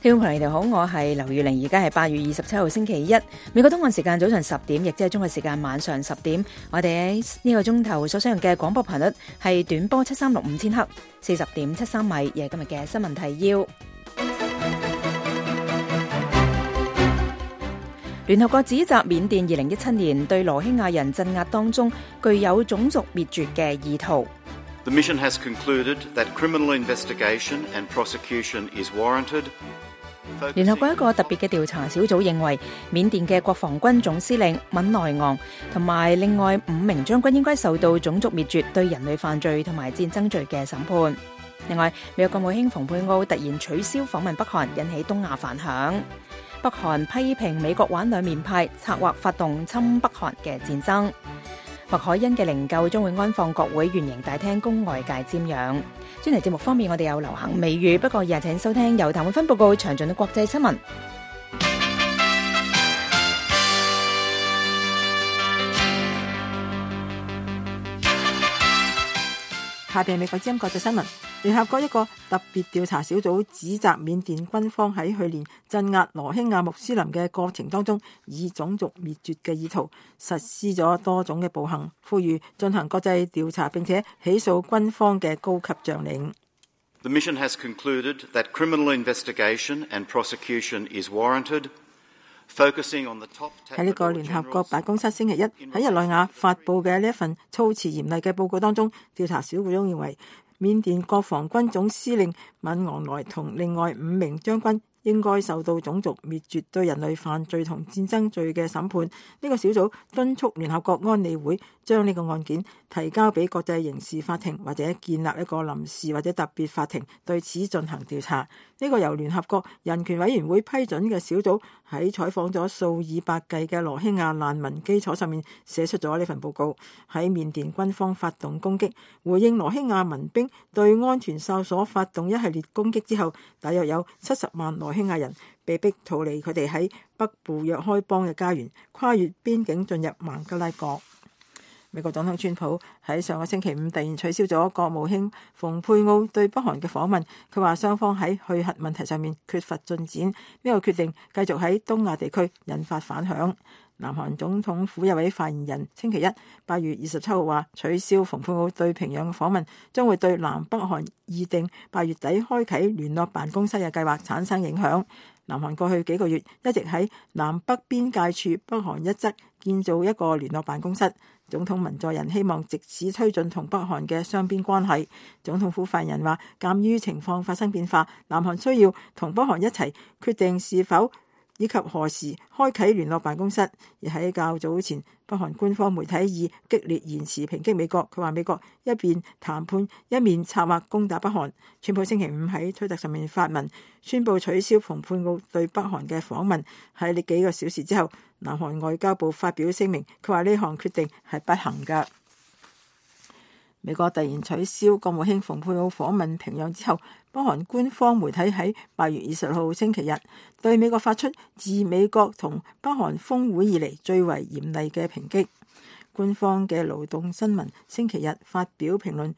聽眾朋友你哋好，我係劉玉玲，而家係8月27號星期一，美國東岸時間早上10點，亦即係中國時間晚上10點。我哋喺呢個鐘頭所使用嘅廣播頻率係短波7365000赫，40.73米，亦係今日嘅新聞提要。聯合國指責緬甸2017年對羅興亞人鎮壓當中具有種族滅絕嘅意圖。The mission has concluded that criminal investigation and prosecution is warranted. 聯合國一個特別嘅調查小組認為，緬甸嘅國防軍總司令敏內昂同埋另外5名將軍應該受到種族滅絕、對人類犯罪同埋戰爭罪嘅審判。另外，美國國務卿蓬佩奧突然取消訪問北韓，引起東亞反響。北韓批評美國玩兩面派，策劃發動侵北韓嘅戰爭。麥凱恩嘅靈柩將會安放國會圓形大廳，供外界瞻仰。專題節目方面，我哋有流行美語，不過日請收聽由譚永芬報告詳盡嘅國際新聞。下邊美國之音國際新聞。聯合國一個特別調查小組指責緬甸軍方喺去年鎮壓羅興亞穆斯林嘅過程當中，以種族滅絕嘅意圖實施咗多種嘅暴行，呼籲進行國際調查並且起訴軍方嘅高級將領。The mission has concluded that criminal investigation and prosecution is warranted. 喺呢個聯合國辦公室星期一喺日內瓦發佈嘅呢一份措辭嚴厲嘅報告當中，調查小組中認為緬甸國防軍總司令敏昂萊同另外5名將軍應該受到種族滅絕、對人類犯罪同戰爭罪嘅審判。呢個小組敦促聯合國安理會將呢個案件提交俾國際刑事法庭，或者建立一個臨時或者特別法庭對此進行調查。呢個由聯合國人權委員會批准嘅小組喺採訪咗數以百計嘅羅興亞難民基礎上面寫出咗呢份報告。喺緬甸軍方發動攻擊，回應羅興亞民兵對安全哨所發動一系列攻擊之後，大約有70萬羅興亞人被逼逃離佢哋喺北部若開邦嘅家園，跨越邊境進入孟加拉國。美國總統川普喺上個星期五突然取消咗國務卿蓬佩奧對北韓嘅訪問，佢話雙方喺去核問題上面缺乏進展，呢個決定繼續喺東亞地區引發反響。南韓總統府有位發言人星期一8月27號話，取消蓬佩奧對平壤嘅訪問將會對南北韓議定8月底開啓聯絡辦公室嘅計劃產生影響。南韓過去幾個月一直喺南北邊界處北韓一側建造一個聯絡辦公室，總統文在寅希望藉此推進同北韓嘅雙邊關係。總統府發言人話，鑑於情況發生變化，南韓需要同北韓一齊決定是否以及何時開啓聯絡辦公室。而喺較早前，北韓官方媒體以激烈言辭抨擊美國，佢話美國一邊談判一面策劃攻打北韓。川普星期五喺推特上面發文宣布取消蓬佩奧對北韓嘅訪問。喺呢幾個小時之後，南韓外交部發表聲明，佢話呢項決定係不幸㗎。美國突然取消國務卿蓬佩奧訪問平壤之後，北韓官方媒體喺8月20號星期日對美國發出自美國同北韓峰會以嚟最為嚴厲嘅抨擊。官方嘅勞動新聞星期日發表評論，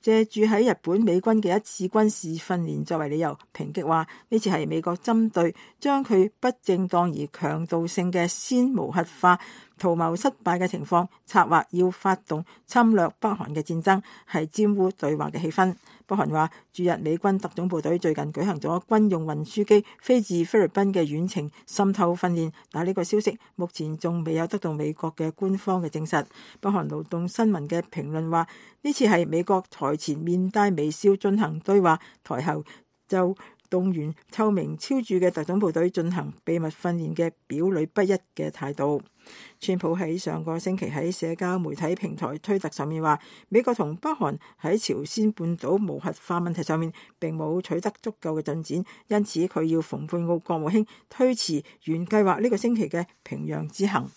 借住喺日本美軍嘅一次軍事訓練作為理由，抨擊話呢次係美國針對將佢不正當而強盜性嘅先無核化圖謀失敗嘅情況，策劃要發動侵略北韓嘅戰爭，係玷污對話嘅氣氛。北韓話駐日美軍特種部隊最近舉行咗軍用運輸機飛至菲律賓嘅遠程滲透訓練，但係呢個消息目前仲未有得到美國嘅官方嘅證實。北韓勞動新聞嘅評論話，呢次係美國台前面帶微笑進行對話，台後就動員臭名昭著嘅特種部隊進行秘密訓練嘅表裏不一嘅態度。川普喺上個星期喺社交媒體平台推特上面話，美國同北韓喺朝鮮半島無核化問題上面並冇取得足夠嘅進展，因此佢要蓬佩奧國務卿推遲原計劃呢個星期嘅平壤之行。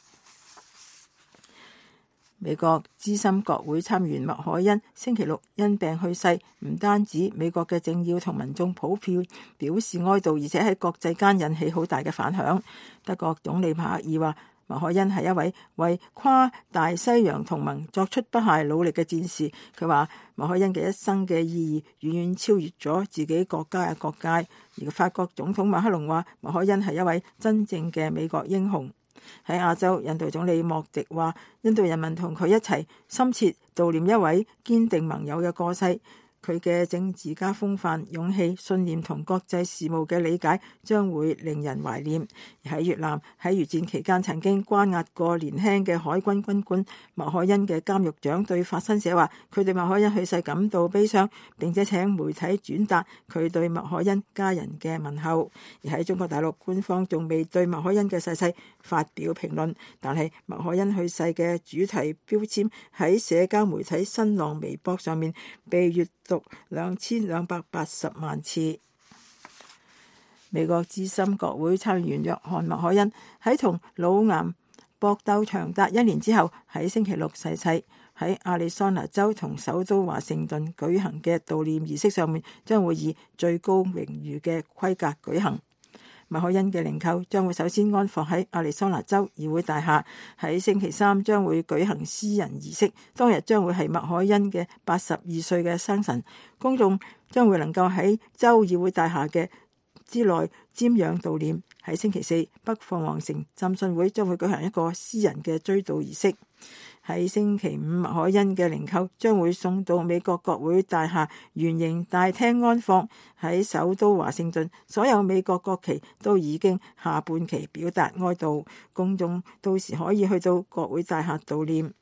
美國資深國會參議員麥凱恩星期六因病去世，唔單止美國嘅政要同民眾普遍表示哀悼，而且喺國際間引起好大嘅反響。德國總理默克爾話，麥凱恩係一位為跨大西洋同盟作出不懈努力嘅戰士。佢話麥凱恩嘅一生嘅意義遠遠超越咗自己國家嘅國界。而法國總統馬克龍話麥凱恩係一位真正嘅美國英雄。喺亞洲，印度總理莫迪話印度人民同佢一齊深切悼念一位堅定盟友嘅過世。佢嘅政治家風範、勇氣、信念同國際事務嘅理解將會令人懷念。而喺越南，喺越戰期間曾經關押過年輕嘅海軍軍官麥凱恩嘅監獄長對法新社話，佢對麥凱恩去世感到悲傷，並且請媒體轉達佢對麥凱恩家人嘅問候。而喺中國大陸，官方仲未對麥凱恩嘅逝世發表評論，但係麥凱恩去世嘅主題標籤喺社交媒體新浪微博上面被閱讀2280萬次。美國資深國會參議員約翰麥凱恩喺同腦癌搏鬥長達1年之後，喺星期六逝世。喺亞利桑那州同首都華盛頓舉行嘅悼念儀式上面，將會以最高榮譽嘅規格舉行。麥凱恩嘅靈柩將會首先安放喺亞利桑那州議會大廈，喺星期三將會舉行私人儀式。當日將會係麥凱恩嘅82歲嘅生辰，公眾將會能夠喺州議會大廈嘅之內瞻仰悼念。喺星期四，北鳳凰城浸信會將會舉行一個私人嘅追悼儀式。喺星期五，麥凱恩嘅靈柩將會送到美國國會大廈圓形大廳安放。喺首都華盛頓，所有美國國旗都已經下半旗表達哀悼，公眾到時可以去到國會大廈悼念。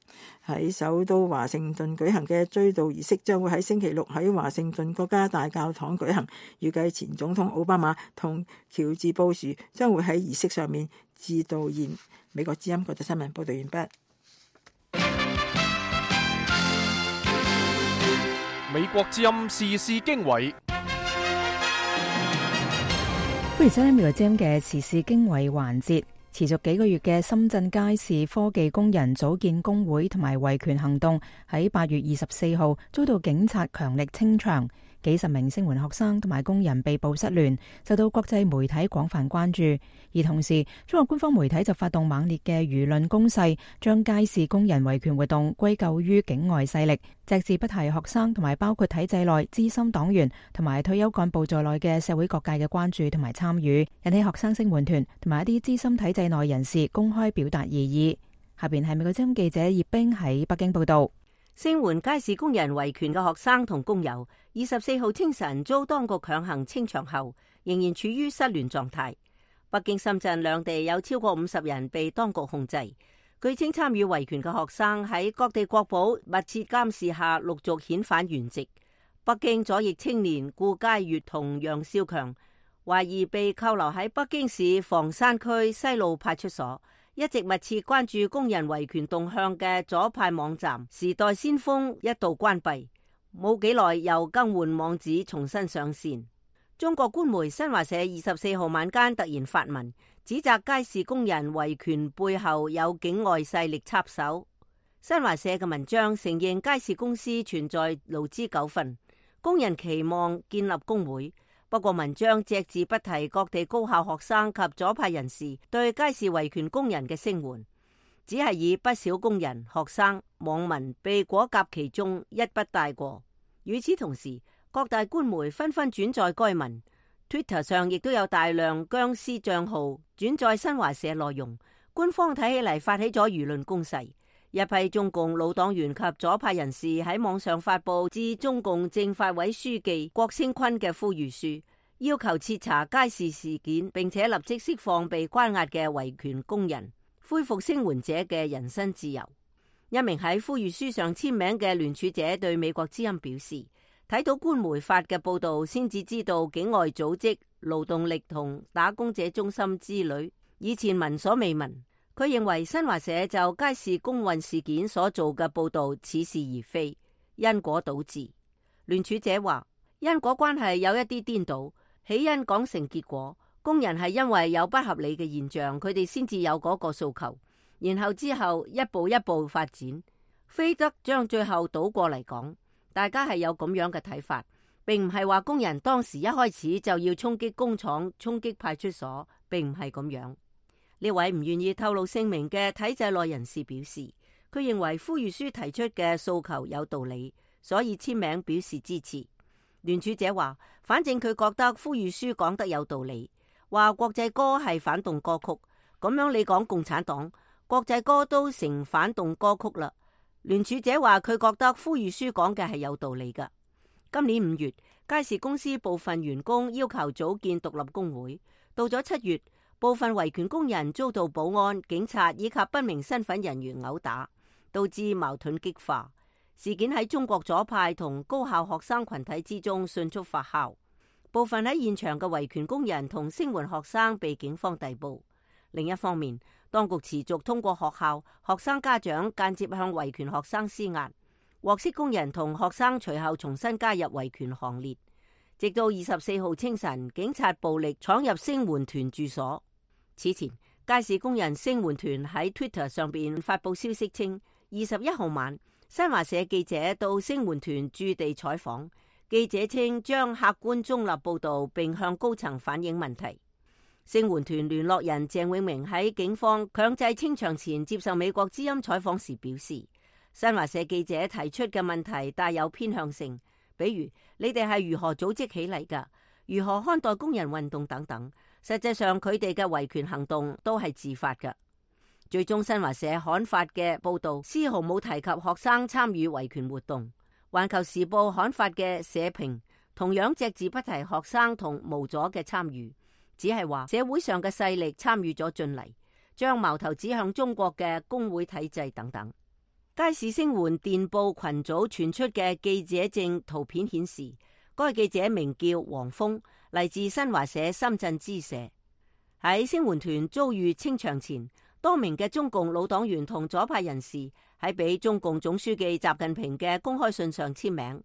喺首都華盛頓舉行嘅追悼儀式將會喺星期六喺華盛頓國家大教堂舉行。預計前總統奧巴馬同喬治布殊將會喺儀式上面致悼唁。美國之音國際新聞報道完畢。美國之音時事經緯，歡迎收聽美國之音嘅時事經緯環節。持續幾個月嘅深圳街市科技工人組建工會同埋維權行動，喺8月24號遭到警察強力清場，幾十名聲援學生同埋工人被捕失聯，受到國際媒體廣泛關注。而同時，中國官方媒體就發動猛烈嘅輿論攻勢，將街市工人維權活動歸咎於境外勢力，隻字不提學生同埋包括體制內資深黨員同埋退休幹部在內嘅社會各界嘅關注同埋參與，引起學生聲援團同埋一啲資深體制內人士公開表達異議。下邊係美國之音記者葉冰喺北京報道。聲援街市工人維權嘅學生同工友24號清晨遭當局強行清場後，仍然處於失聯狀態。北京、深圳兩地有超過50人被當局控制。據稱參與維權嘅學生喺各地國保密切監視下陸續遣返原籍。北京左翼青年顧佳悅同楊少強懷疑被扣留喺北京市房山區西路派出所。一直密切關注工人維權動向嘅左派網站時代先鋒一度關閉，冇幾耐又更換網址重新上線。中國官媒新華社24號晚間突然發文，指責街市工人維權背後有境外勢力插手。新華社嘅文章承認街市公司存在勞資糾紛，工人期望建立工會。不過文章隻字不提各地高校學生及左派人士對街市維權工人嘅聲援，只係以不少工人、學生、網民被裹挾其中一筆帶過。與此同時，各大官媒紛紛轉載該文， Twitter 上亦都有大量僵屍賬號轉載新華社內容。官方睇起嚟發起咗輿論攻勢，一批中共老黨員及左派人士喺網上發佈致中共政法委書記郭聲琨嘅呼籲書，要求徹查街市事件，並且立即釋放被關押嘅維權工人，恢復聲援者嘅人身自由。一名喺呼籲書上簽名嘅聯署者對美國之音表示，睇到官媒發嘅報道，先至知道境外組織、勞動力同打工者中心之類，以前聞所未聞。佢認為新華社就街市工運事件所做嘅報道似是而非，因果倒置。聯署者話，因果關係有一啲顛倒，起因講成結果，工人係因為有不合理嘅現象，佢哋先至有嗰個訴求，然後之後一步一步發展，非得將最後倒過嚟講。大家係有咁樣嘅睇法，並唔係話工人當時一開始就要衝擊工廠、衝擊派出所，並唔係咁樣。呢位唔願意透露姓名嘅體制內人士表示，佢認為呼籲書提出嘅訴求有道理，所以簽名表示支持。聯署者話，反正佢覺得呼籲書講得有道理，話國際歌係反動歌曲，咁樣你講共產黨，國際歌都成反動歌曲啦。聯署者話佢覺得呼籲書講嘅係有道理㗎。今年5月，佳士公司部分員工要求組建獨立工會，到咗7月，部分維權工人遭到保安、警察以及不明身份人員毆打，導致矛盾激化。事件喺中國左派同高校學生群體之中迅速發酵，部分喺現場嘅維權工人同聲援學生被警方逮捕。另一方面，當局持續通過學校、學生家長間接向維權學生施壓，獲釋工人同學生隨後重新加入維權行列。直到24號清晨，警察暴力闖入聲援團住所。此前，佳士工人聲援團喺 Twitter 上邊發佈消息稱，21號晚，新華社記者到聲援團駐地採訪，記者稱將客觀中立報導並向高層反映問題。聲援團聯絡人鄭永明喺警方強制清場前接受美國之音採訪時表示，新華社記者提出嘅問題帶有偏向性，比如你哋係如何組織起嚟㗎，如何看待工人運動等等。實際上佢哋嘅維權行動都係自發㗎。最終新華社刊發嘅報導絲毫冇提及學生參與維權活動。環球時報刊發嘅社評同樣隻字不提學生同無阻嘅參與，只係話社會上嘅勢力參與咗進嚟，將矛頭指向中國嘅工會體制等等。佳士聲援電報群組傳出嘅記者證圖片顯示，該記者名叫黃峰，嚟自新華社深圳支社。喺聲援團遭遇清場前，多名嘅中共老黨員同左派人士喺俾中共總書記習近平嘅公開信上簽名，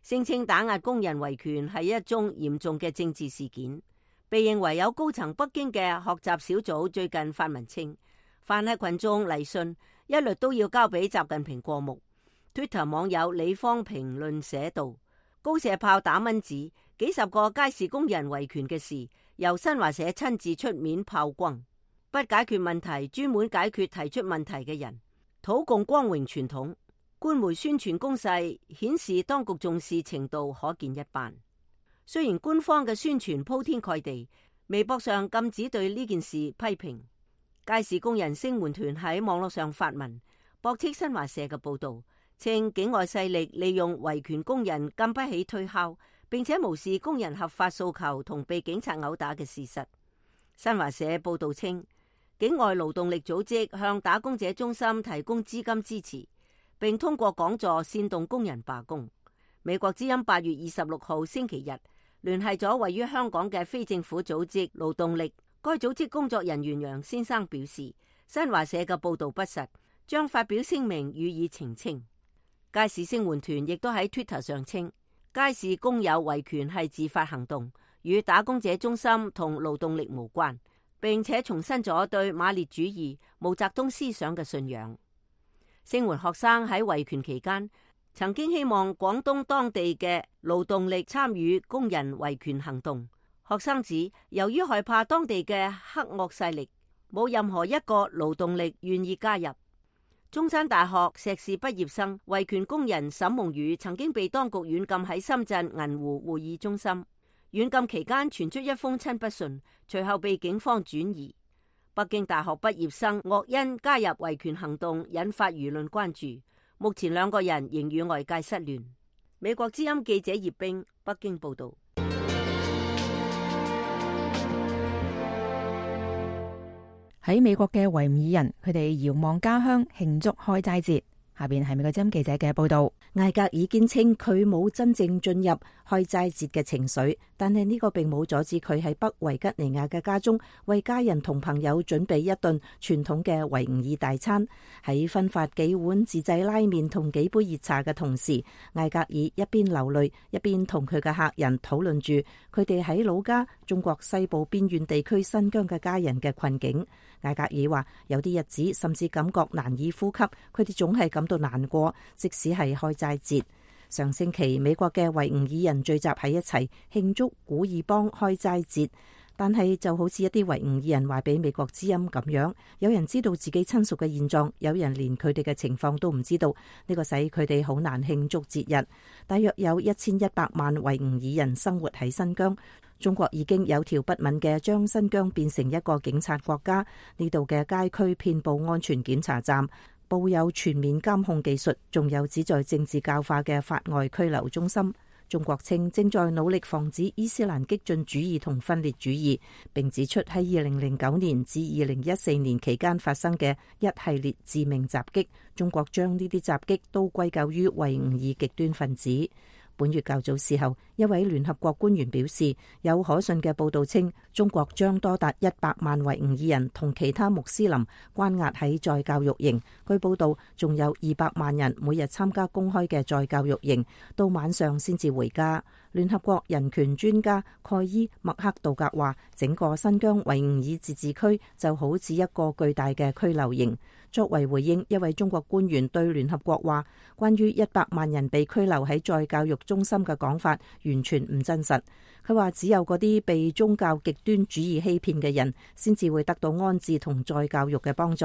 聲稱打壓工人維權係一宗嚴重嘅政治事件。被認為有高層北京嘅學習小組最近發文稱，凡係群眾嚟信，一律都要交俾習近平過目。Twitter 網友李芳評論寫道：高射炮打蚊子，幾十個佳士工人維權嘅事，由新華社親自出面炮轟。不解決問題，專門解決提出問題嘅人，討共光榮傳統。官媒宣傳攻勢顯示當局重視程度可見一斑。雖然官方嘅宣傳鋪天蓋地，微博上禁止對呢件事批評。佳士工人聲援團喺網絡上發文駁斥新華社嘅報導，稱境外勢力利用維權工人禁不起推敲，並且無視工人合法訴求同被警察毆打嘅事實。新華社報導稱，境外勞動力組織向打工者中心提供資金支持，並通過講座煽動工人罷工。美國之音8月26號星期日聯繫咗位於香港嘅非政府組織勞動力，該組織工作人員楊先生表示，新華社嘅報導不實，將發表聲明予以澄清。佳士聲援團亦都喺 Twitter 上稱，佳士工友維權係自發行動，與打工者中心同勞動力無關，並且重申咗對馬列主義、毛澤東思想嘅信仰。聲援學生喺維權期間曾經希望廣東當地嘅勞動力參與工人維權行動。學生指，由於害怕當地嘅黑惡勢力，冇任何一個勞動力願意加入。中山大學碩士畢業生維權工人沈夢雨曾經被當局軟禁喺深圳銀湖會議中心。軟禁期間傳出一封親筆信，隨後被警方轉移。北京大學畢業生岳恩加入維權行動，引發輿論關注。目前兩個人仍與外界失聯。美國之音記者葉冰北京報道。喺美國嘅維吾爾人，佢哋遙望家鄉慶祝開齋節。下邊係美國之音記者嘅報道。艾格爾堅稱佢冇真正進入開齋節嘅情緒，但係呢個並冇阻止佢喺北維吉尼亞嘅家中為家人同朋友準備一頓傳統嘅維吾爾大餐。喺分發幾碗自製拉麵同幾杯熱茶嘅同時，艾格爾一邊流淚一邊同佢嘅客人討論住佢哋喺老家中國西部邊緣地區新疆嘅家人嘅困境。艾格爾話有啲日子甚至感覺難以呼吸，佢哋總係感到難過，即使係開齋節。上星期美國嘅維吾爾人聚集喺一齊慶祝古爾邦開齋節，但係就好似一啲維吾爾人話俾美國之音咁樣，有人知道自己親屬嘅現狀，有人連佢哋嘅情況都唔知道，呢個使佢哋好難慶祝節日。大約有1100萬維吾爾人生活喺新疆。中國已經有條不紊嘅將新疆變成一個警察國家，呢度嘅街區遍佈安全檢查站，佈有全面監控技術，仲有旨在政治教化嘅法外拘留中心。中國稱正在努力防止伊斯蘭激進主義同分裂主義，並指出喺2009年至2014年期間發生嘅一系列致命襲擊，中國將呢啲襲擊都歸咎於維吾爾極端分子。本月較早時候，一位聯合國官員表示，有可信嘅報道稱，中國將多達100萬維吾爾人同其他穆斯林關押喺再教育營。據報道，仲有200萬人每日參加公開嘅再教育營，到晚上先至回家。聯合國人權專家蓋伊麥克道格話，整個新疆維吾爾自治區就好似一個巨大嘅拘留營。作為回應，一位中國官員對聯合國話，關於100萬人被拘留喺再教育中心嘅講法完全唔真實。佢話只有嗰啲被宗教極端主義欺騙嘅人先至會得到安置同再教育嘅幫助。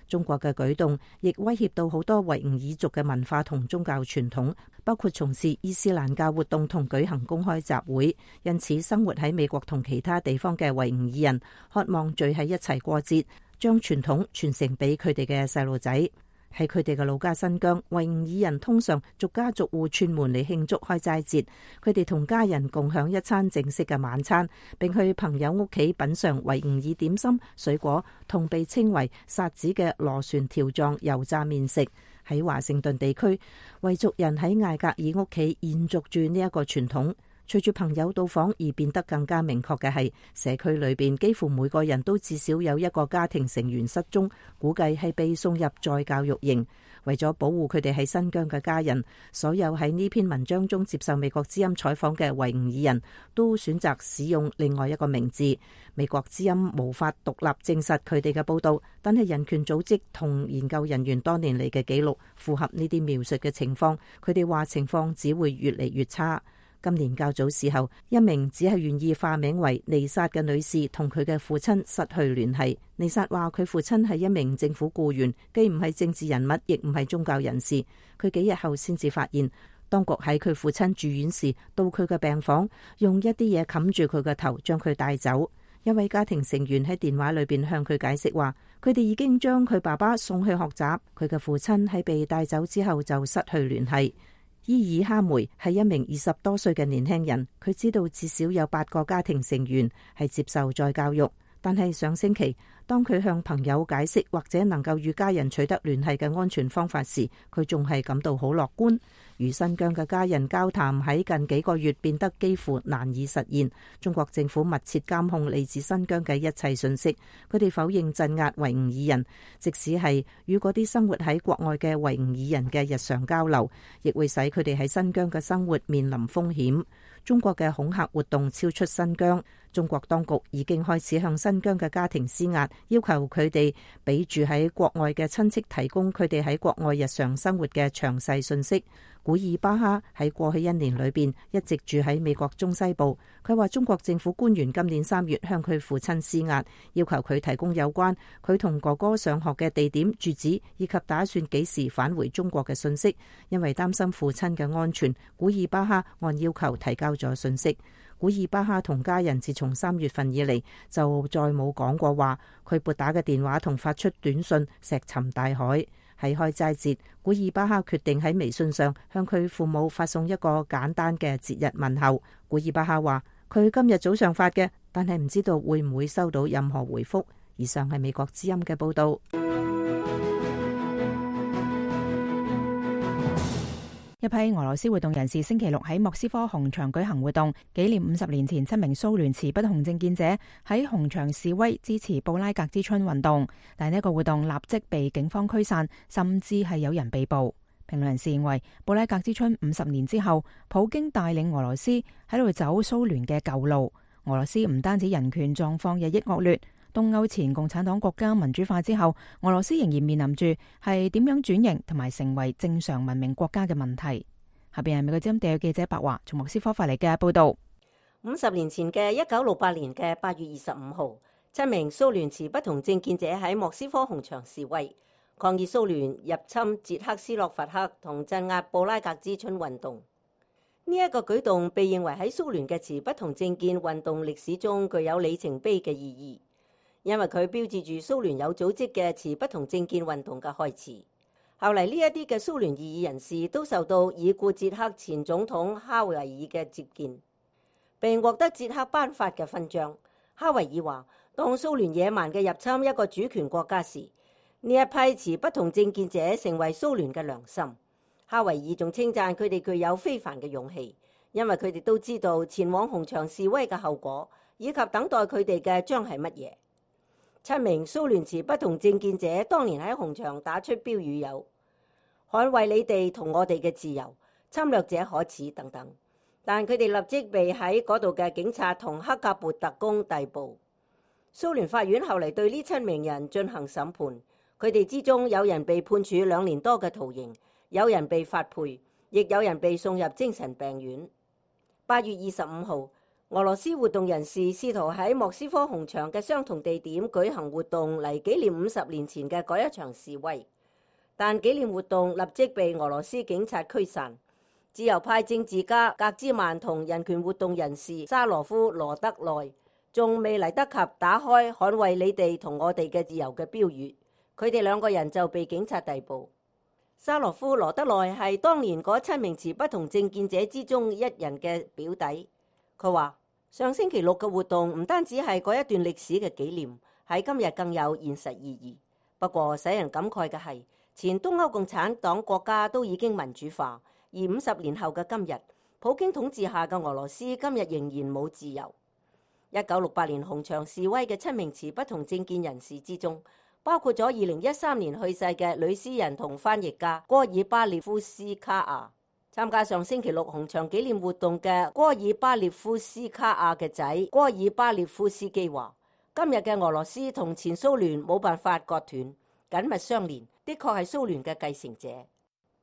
中國嘅舉動亦威脅到好多維吾爾族嘅文化同宗教傳統，包括從事伊斯蘭教活動同舉行公開集會。因此，生活喺美國同其他地方嘅維吾爾人渴望聚喺一齊過節，將傳統傳承俾佢哋嘅細路仔。喺佢哋嘅老家新疆，維吾爾人通常逐家逐戶串門嚟慶祝開齋節。佢哋同家人共享一餐正式嘅晚餐，並去朋友屋企品嘗維吾爾點心、水果同被稱為薩子嘅螺旋條狀油炸麵食。喺華盛頓地區，維族人喺艾格爾屋企延續住呢一個傳統。隨住朋友到訪而變得更加明確嘅係，社區裏邊幾乎每個人都至少有一個家庭成員失蹤，估計係被送入再教育營。為咗保護佢哋喺新疆嘅家人，所有喺呢篇文章中接受美國之音採訪嘅維吾爾人都選擇使用另外一個名字。美國之音無法獨立證實佢哋嘅報道，但係人權組織同研究人員多年嚟嘅記錄符合呢啲描述嘅情況。佢哋話情況只會越嚟越差。今年較早時候，一名只係願意化名為尼薩嘅女士同佢嘅父親失去聯繫。尼薩話佢父親係一名政府僱員，既唔係政治人物，亦唔係宗教人士。佢幾日後先至發現，當局喺佢父親住院時到佢嘅病房，用一啲嘢冚住佢嘅頭，將佢帶走。一位家庭成員喺電話裏邊向佢解釋話，佢哋已經將佢爸爸送去學習，佢嘅父親喺被帶走之後就失去聯繫。伊爾哈梅係一名20多歲嘅年輕人，佢知道至少有8個家庭成員係接受再教育，但係上星期當佢向朋友解釋或者能夠與家人取得聯繫嘅安全方法時，佢仲係感到好樂觀。與新疆嘅家人交談喺近幾個月變得幾乎難以實現。中國政府密切監控嚟自新疆嘅一切信息，佢哋否認鎮壓維吾爾人，即使係與嗰啲生活喺國外嘅維吾爾人嘅日常交流，亦會使佢哋喺新疆嘅生活面臨風險。中國嘅恐嚇活動超出新疆，中國當局已經開始向新疆嘅家庭施壓，要求佢哋俾住喺國外嘅親戚提供佢哋喺國外日常生活嘅詳細信息。古爾巴哈喺過去1年裏邊一直住喺美國中西部。佢話中國政府官員今年3月向佢父親施壓，要求佢提供有關佢同哥哥上學嘅地點、住址以及打算幾時返回中國嘅信息。因為擔心父親嘅安全，古爾巴哈按要求提交咗信息。古爾巴哈同家人自從3月份以嚟就再冇講過話，佢撥打嘅電話同發出短信石沉大海。喺開齋節，古爾巴哈決定喺微信上向佢父母發送一個簡單嘅節日問候。古爾巴哈話佢今日早上發嘅，但係唔知道會唔會收到任何回覆。以上係美國之音嘅報道。一批俄羅斯活動人士星期六喺莫斯科紅場舉行活動，紀念50年前7名蘇聯持不同政見者喺紅場示威支持布拉格之春運動，但呢個活動立即被警方驅散，甚至係有人被捕。評論人士認為，布拉格之春50年之後，普京帶領俄羅斯喺度走蘇聯嘅舊路。俄羅斯唔單止人權狀況日益惡劣，東歐前共產黨國家民主化之後，俄羅斯仍然面臨住係點樣轉型同埋成為正常文明國家嘅問題。下邊係美國之音特約記者白華從莫斯科發嚟嘅報道。50年前嘅1968年嘅8月25號，7名蘇聯持不同政見者喺莫斯科紅場示威，抗議蘇聯入侵捷克斯洛伐克同鎮壓布拉格之春運動。呢一個舉動被認為喺蘇聯嘅持不同政見運動歷史中具有里程碑嘅意義，因為佢標誌住蘇聯有組織嘅持不同政見運動嘅開始。後嚟呢一啲嘅蘇聯異議人士都受到已故捷克前總統哈維爾嘅接見，並獲得捷克頒發嘅勳章。哈維爾話：當蘇聯野蠻嘅入侵一個主權國家時，呢一批持不同政見者成為蘇聯嘅良心。哈維爾仲稱讚佢哋具有非凡嘅勇氣，因為佢哋都知道前往紅場示威嘅後果，以及等待佢哋嘅將係乜嘢。7名蘇聯持不同政見者當年喺紅場打出標語有：捍衛你哋同我哋嘅自由，侵略者可恥等等。但佢哋立即被喺嗰度嘅警察同克格勃特工逮捕。蘇聯法院後嚟對呢7名人進行審判，佢哋之中有人被判處2年多嘅徒刑，有人被發配，亦有人被送入精神病院。8月25號，俄羅斯活動人士試圖喺莫斯科紅場嘅相同地點舉行活動嚟紀念50年前嘅嗰一場示威，但紀念活動立即被俄羅斯警察驅散。自由派政治家格茲曼同人權活動人士沙羅夫羅德內仲未嚟得及打開捍衛你哋同我哋嘅自由嘅標語，佢哋2個人就被警察逮捕。沙羅夫羅德內係當年嗰7名持不同政見者之中一人嘅表弟。佢話：上星期6嘅活動唔單止係嗰一段歷史嘅紀念，喺今日更有現實意義。不過使人感慨嘅係，前東歐共產黨國家都已經民主化，而50年後嘅今日，普京統治下嘅俄羅斯今日仍然冇自由。1968年紅場示威嘅7名持不同政見人士之中，包括咗2013年去世嘅女詩人同翻譯家戈爾巴列夫斯卡亞。參加上星期6紅場紀念活動嘅戈爾巴列夫斯卡亞嘅仔戈爾巴列夫斯基話：今日嘅俄羅斯同前蘇聯冇辦法割斷，緊密相連，的確係蘇聯嘅繼承者。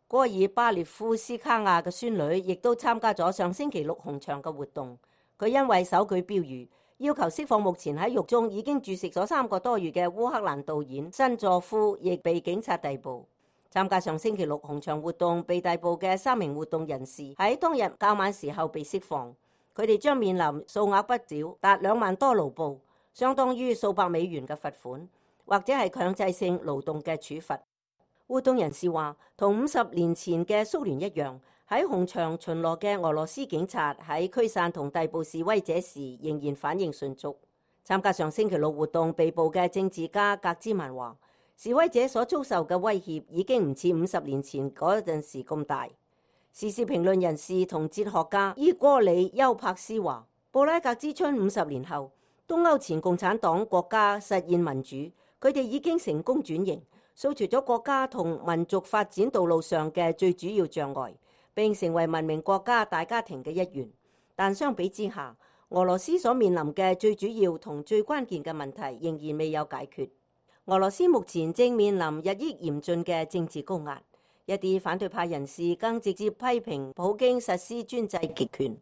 戈爾巴列夫斯卡亞嘅孫女亦都參加咗上星期6紅場嘅活動，佢因為手舉標語要求釋放目前喺獄中已經注釋咗3個多月嘅烏克蘭導演辛佐夫，亦被警察逮捕。參加上星期6紅場活動被逮捕嘅3名活動人士喺當日較晚時候被釋放，佢哋將面臨數額不少達2萬多盧布，相當於數百美元嘅罰款，或者係強制性勞動嘅處罰。活動人士話，同50年前嘅蘇聯一樣，喺紅場巡邏嘅俄羅斯警察喺驅散同逮捕示威者時仍然反應迅速。參加上星期6活動被捕嘅政治家格茲曼話，示威者所遭受嘅威脅已經唔似50年前嗰陣時咁大。時事評論人士同哲學家伊戈里丘柏斯話，布拉格之春50年後，東歐前共產黨國家實現民主，佢哋已經成功轉型，掃除咗國家同民族發展道路上嘅最主要障礙，並成為文明國家大家庭嘅一員。但相比之下，俄羅斯所面臨嘅最主要同最關鍵嘅問題仍然未有解決。俄羅斯目前正面臨日益嚴峻嘅政治高壓，一啲反對派人士更直接批評普京實施專制極權。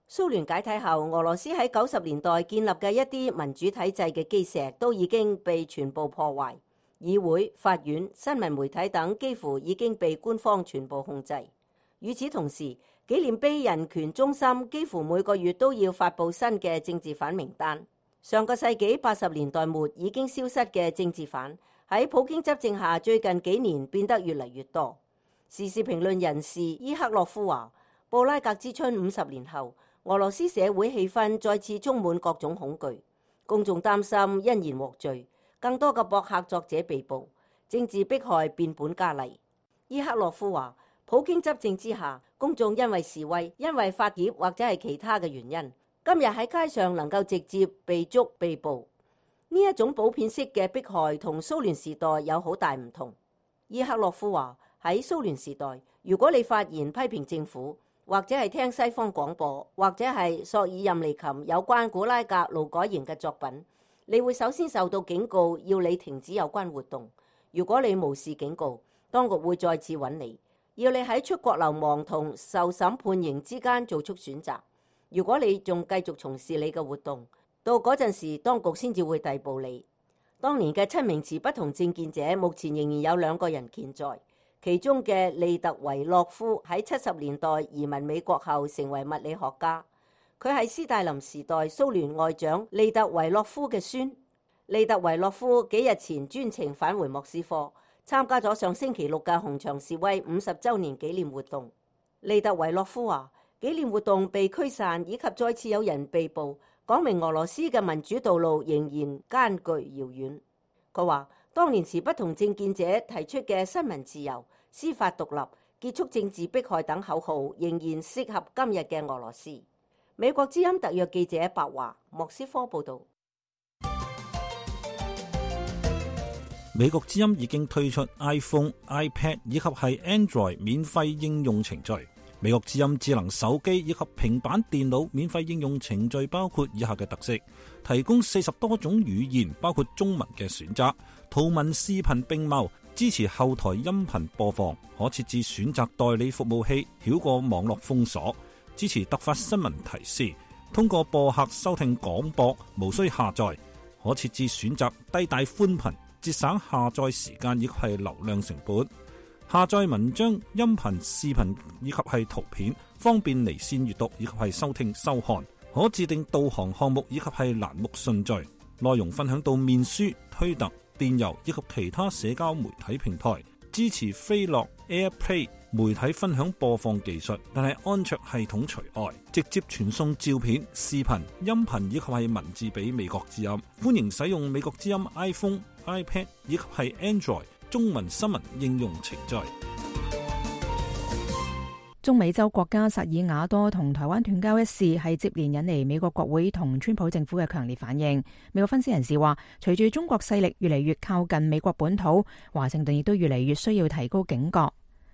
蘇聯解體後，俄羅斯喺90年代建立嘅一啲民主體制嘅基石都已經被全部破壞，議會、法院、新聞媒體等幾乎已經被官方全部控制。與此同時，紀念碑人權中心幾乎每個月都要發布新嘅政治犯名單。上個世紀80年代末已經消失嘅政治犯，喺普京執政下最近幾年變得越嚟越多。時事評論人士伊克洛夫話，布拉格之春50年後，俄羅斯社會氣氛再次充滿各種恐懼，公眾擔心因言獲罪，更多嘅博客作者被捕，政治迫害變本加厲。伊克洛夫話，普京執政之下，公眾因為示威、因為發帖或者係其他嘅原因，今日喺街上能夠直接被捉被捕，呢一種普遍式嘅迫害同蘇聯時代有好大唔同。伊克洛夫話，喺蘇聯時代，如果你發言批評政府，或者係聽西方廣播，或者係索爾任尼琴有關古拉格勞改營嘅作品，你會首先受到警告，要你停止有關活動。如果你無視警告，當局會再次揾你，要你喺出國流亡同受審判刑之間做出選擇。如果你仲繼續從事你嘅活動，到嗰陣時當局先至會逮捕你。當年嘅7名持不同政見者，目前仍然有2個人健在，其中嘅利特維洛夫喺70年代移民美國後成為物理學家，佢係斯大林時代蘇聯外長利特維洛夫嘅孫。利特維洛夫幾日前專程返回莫斯科，參加咗上星期6嘅紅場示威50週年紀念活動。利特維洛夫話，紀念活動被驅散以及再次有人被捕，講明俄羅斯嘅民主道路仍然艱巨遙遠。佢話，當年持不同政見者提出嘅新聞自由、司法獨立、結束政治迫害等口號，仍然適合今日嘅俄羅斯。美國之音特約記者白華，莫斯科報導。美國之音已經推出 iPhone、iPad 以及係 Android 免費應用程序。美國之音智能手機以及平板電腦免費應用程序包括以下嘅特色：提供40多種語言，包括中文嘅選擇，圖文視頻並茂，支持後台音頻播放，可設置選擇代理服務器，繞過網絡封鎖，支持突發新聞提示，通過播客收聽廣播，無需下載，可設置選擇低帶寬頻，節省下載時間以及係流量成本。下載文章、音頻、視頻以及係圖片，方便離線閱讀以及係收聽收看。可自定導航項目以及係欄目順序。內容分享到面書、推特、電郵以及其他社交媒體平台。支持飛樂 AirPlay 媒體分享播放技術，但係安卓系統除外。直接傳送照片、視頻、音頻以及係文字俾美國之音。歡迎使用美國之音 iPhone、iPad 以及係 Android中文新聞應用程序。中美洲國家薩爾瓦多同台灣斷交一事係接連引嚟美國國會同川普政府嘅強烈反應。美國分析人士話，隨住中國勢力越嚟越靠近美國本土，華盛頓亦都越嚟越需要提高警覺。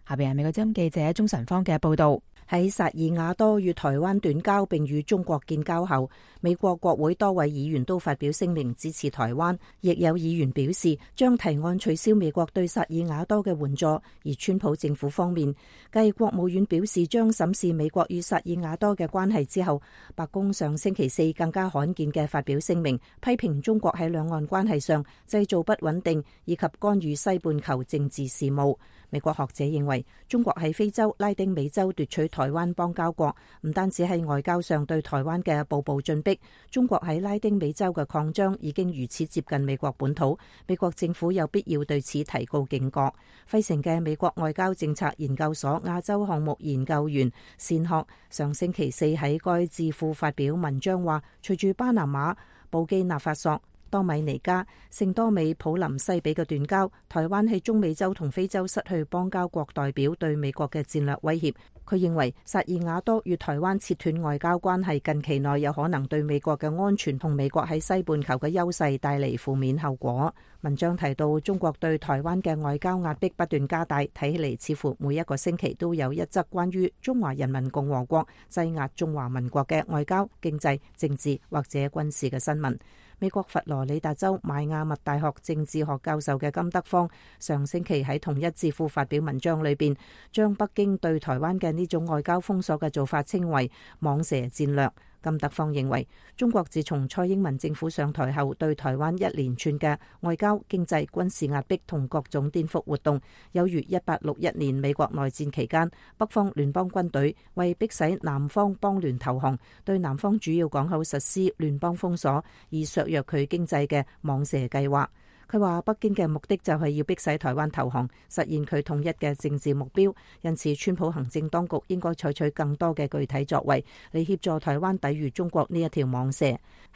下邊係美國之音記者鍾晨芳嘅報道。喺薩爾瓦多與台灣斷交並與中國建交後，美國國會多位議員都發表聲明支持台灣，亦有議員表示將提案取消美國對薩爾瓦多嘅援助。而川普政府方面，繼國務院表示將審視美國與薩爾瓦多嘅關係之後，白宮上星期4更加罕見嘅發表聲明，批評中國喺兩岸關係上製造不穩定以及干預西半球政治事務。美國學者認為，中國喺非洲、拉丁美洲奪取台灣邦交國，唔單止係外交上對台灣嘅步步進逼，中國喺拉丁美洲嘅擴張已經如此接近美國本土，美國政府有必要對此提高警覺。費城嘅美國外交政策研究所亞洲項目研究員善學上星期4喺該智庫發表文章話，隨住巴拿馬、布基納法索、多米尼加、聖多美普林西比嘅斷交，台灣喺中美洲同非洲失去邦交國代表對美國嘅戰略威脅。佢認為薩爾瓦多與台灣切斷外交關係，近期內有可能對美國嘅安全同美國喺西半球嘅優勢帶嚟負面後果。文章提到，中國對台灣嘅外交壓迫不斷加大，睇起嚟似乎每一個星期都有一則關於中華人民共和國擠壓中華民國嘅外交、經濟、政治或者軍事嘅新聞。美國佛羅里達州邁阿密大學政治學教授嘅金德芳上星期喺同一智庫發表文章裏邊，將北京對台灣嘅呢種外交封鎖嘅做法稱為蟒蛇戰略。金德芳認為，中國自從蔡英文政府上台後，對台灣一連串嘅外交、經濟、軍事壓迫同各種顛覆活動，有如1861年美國內戰期間，北方聯邦軍隊為迫使南方邦聯投降，對南方主要港口實施聯邦封鎖，以削弱佢經濟嘅蟒蛇計劃。佢話北京嘅目的就係要迫使台灣投降，實現佢統一嘅政治目標，因此川普行政當局應該採取更多嘅具體作為嚟協助台灣抵禦中國呢一條蟒蛇。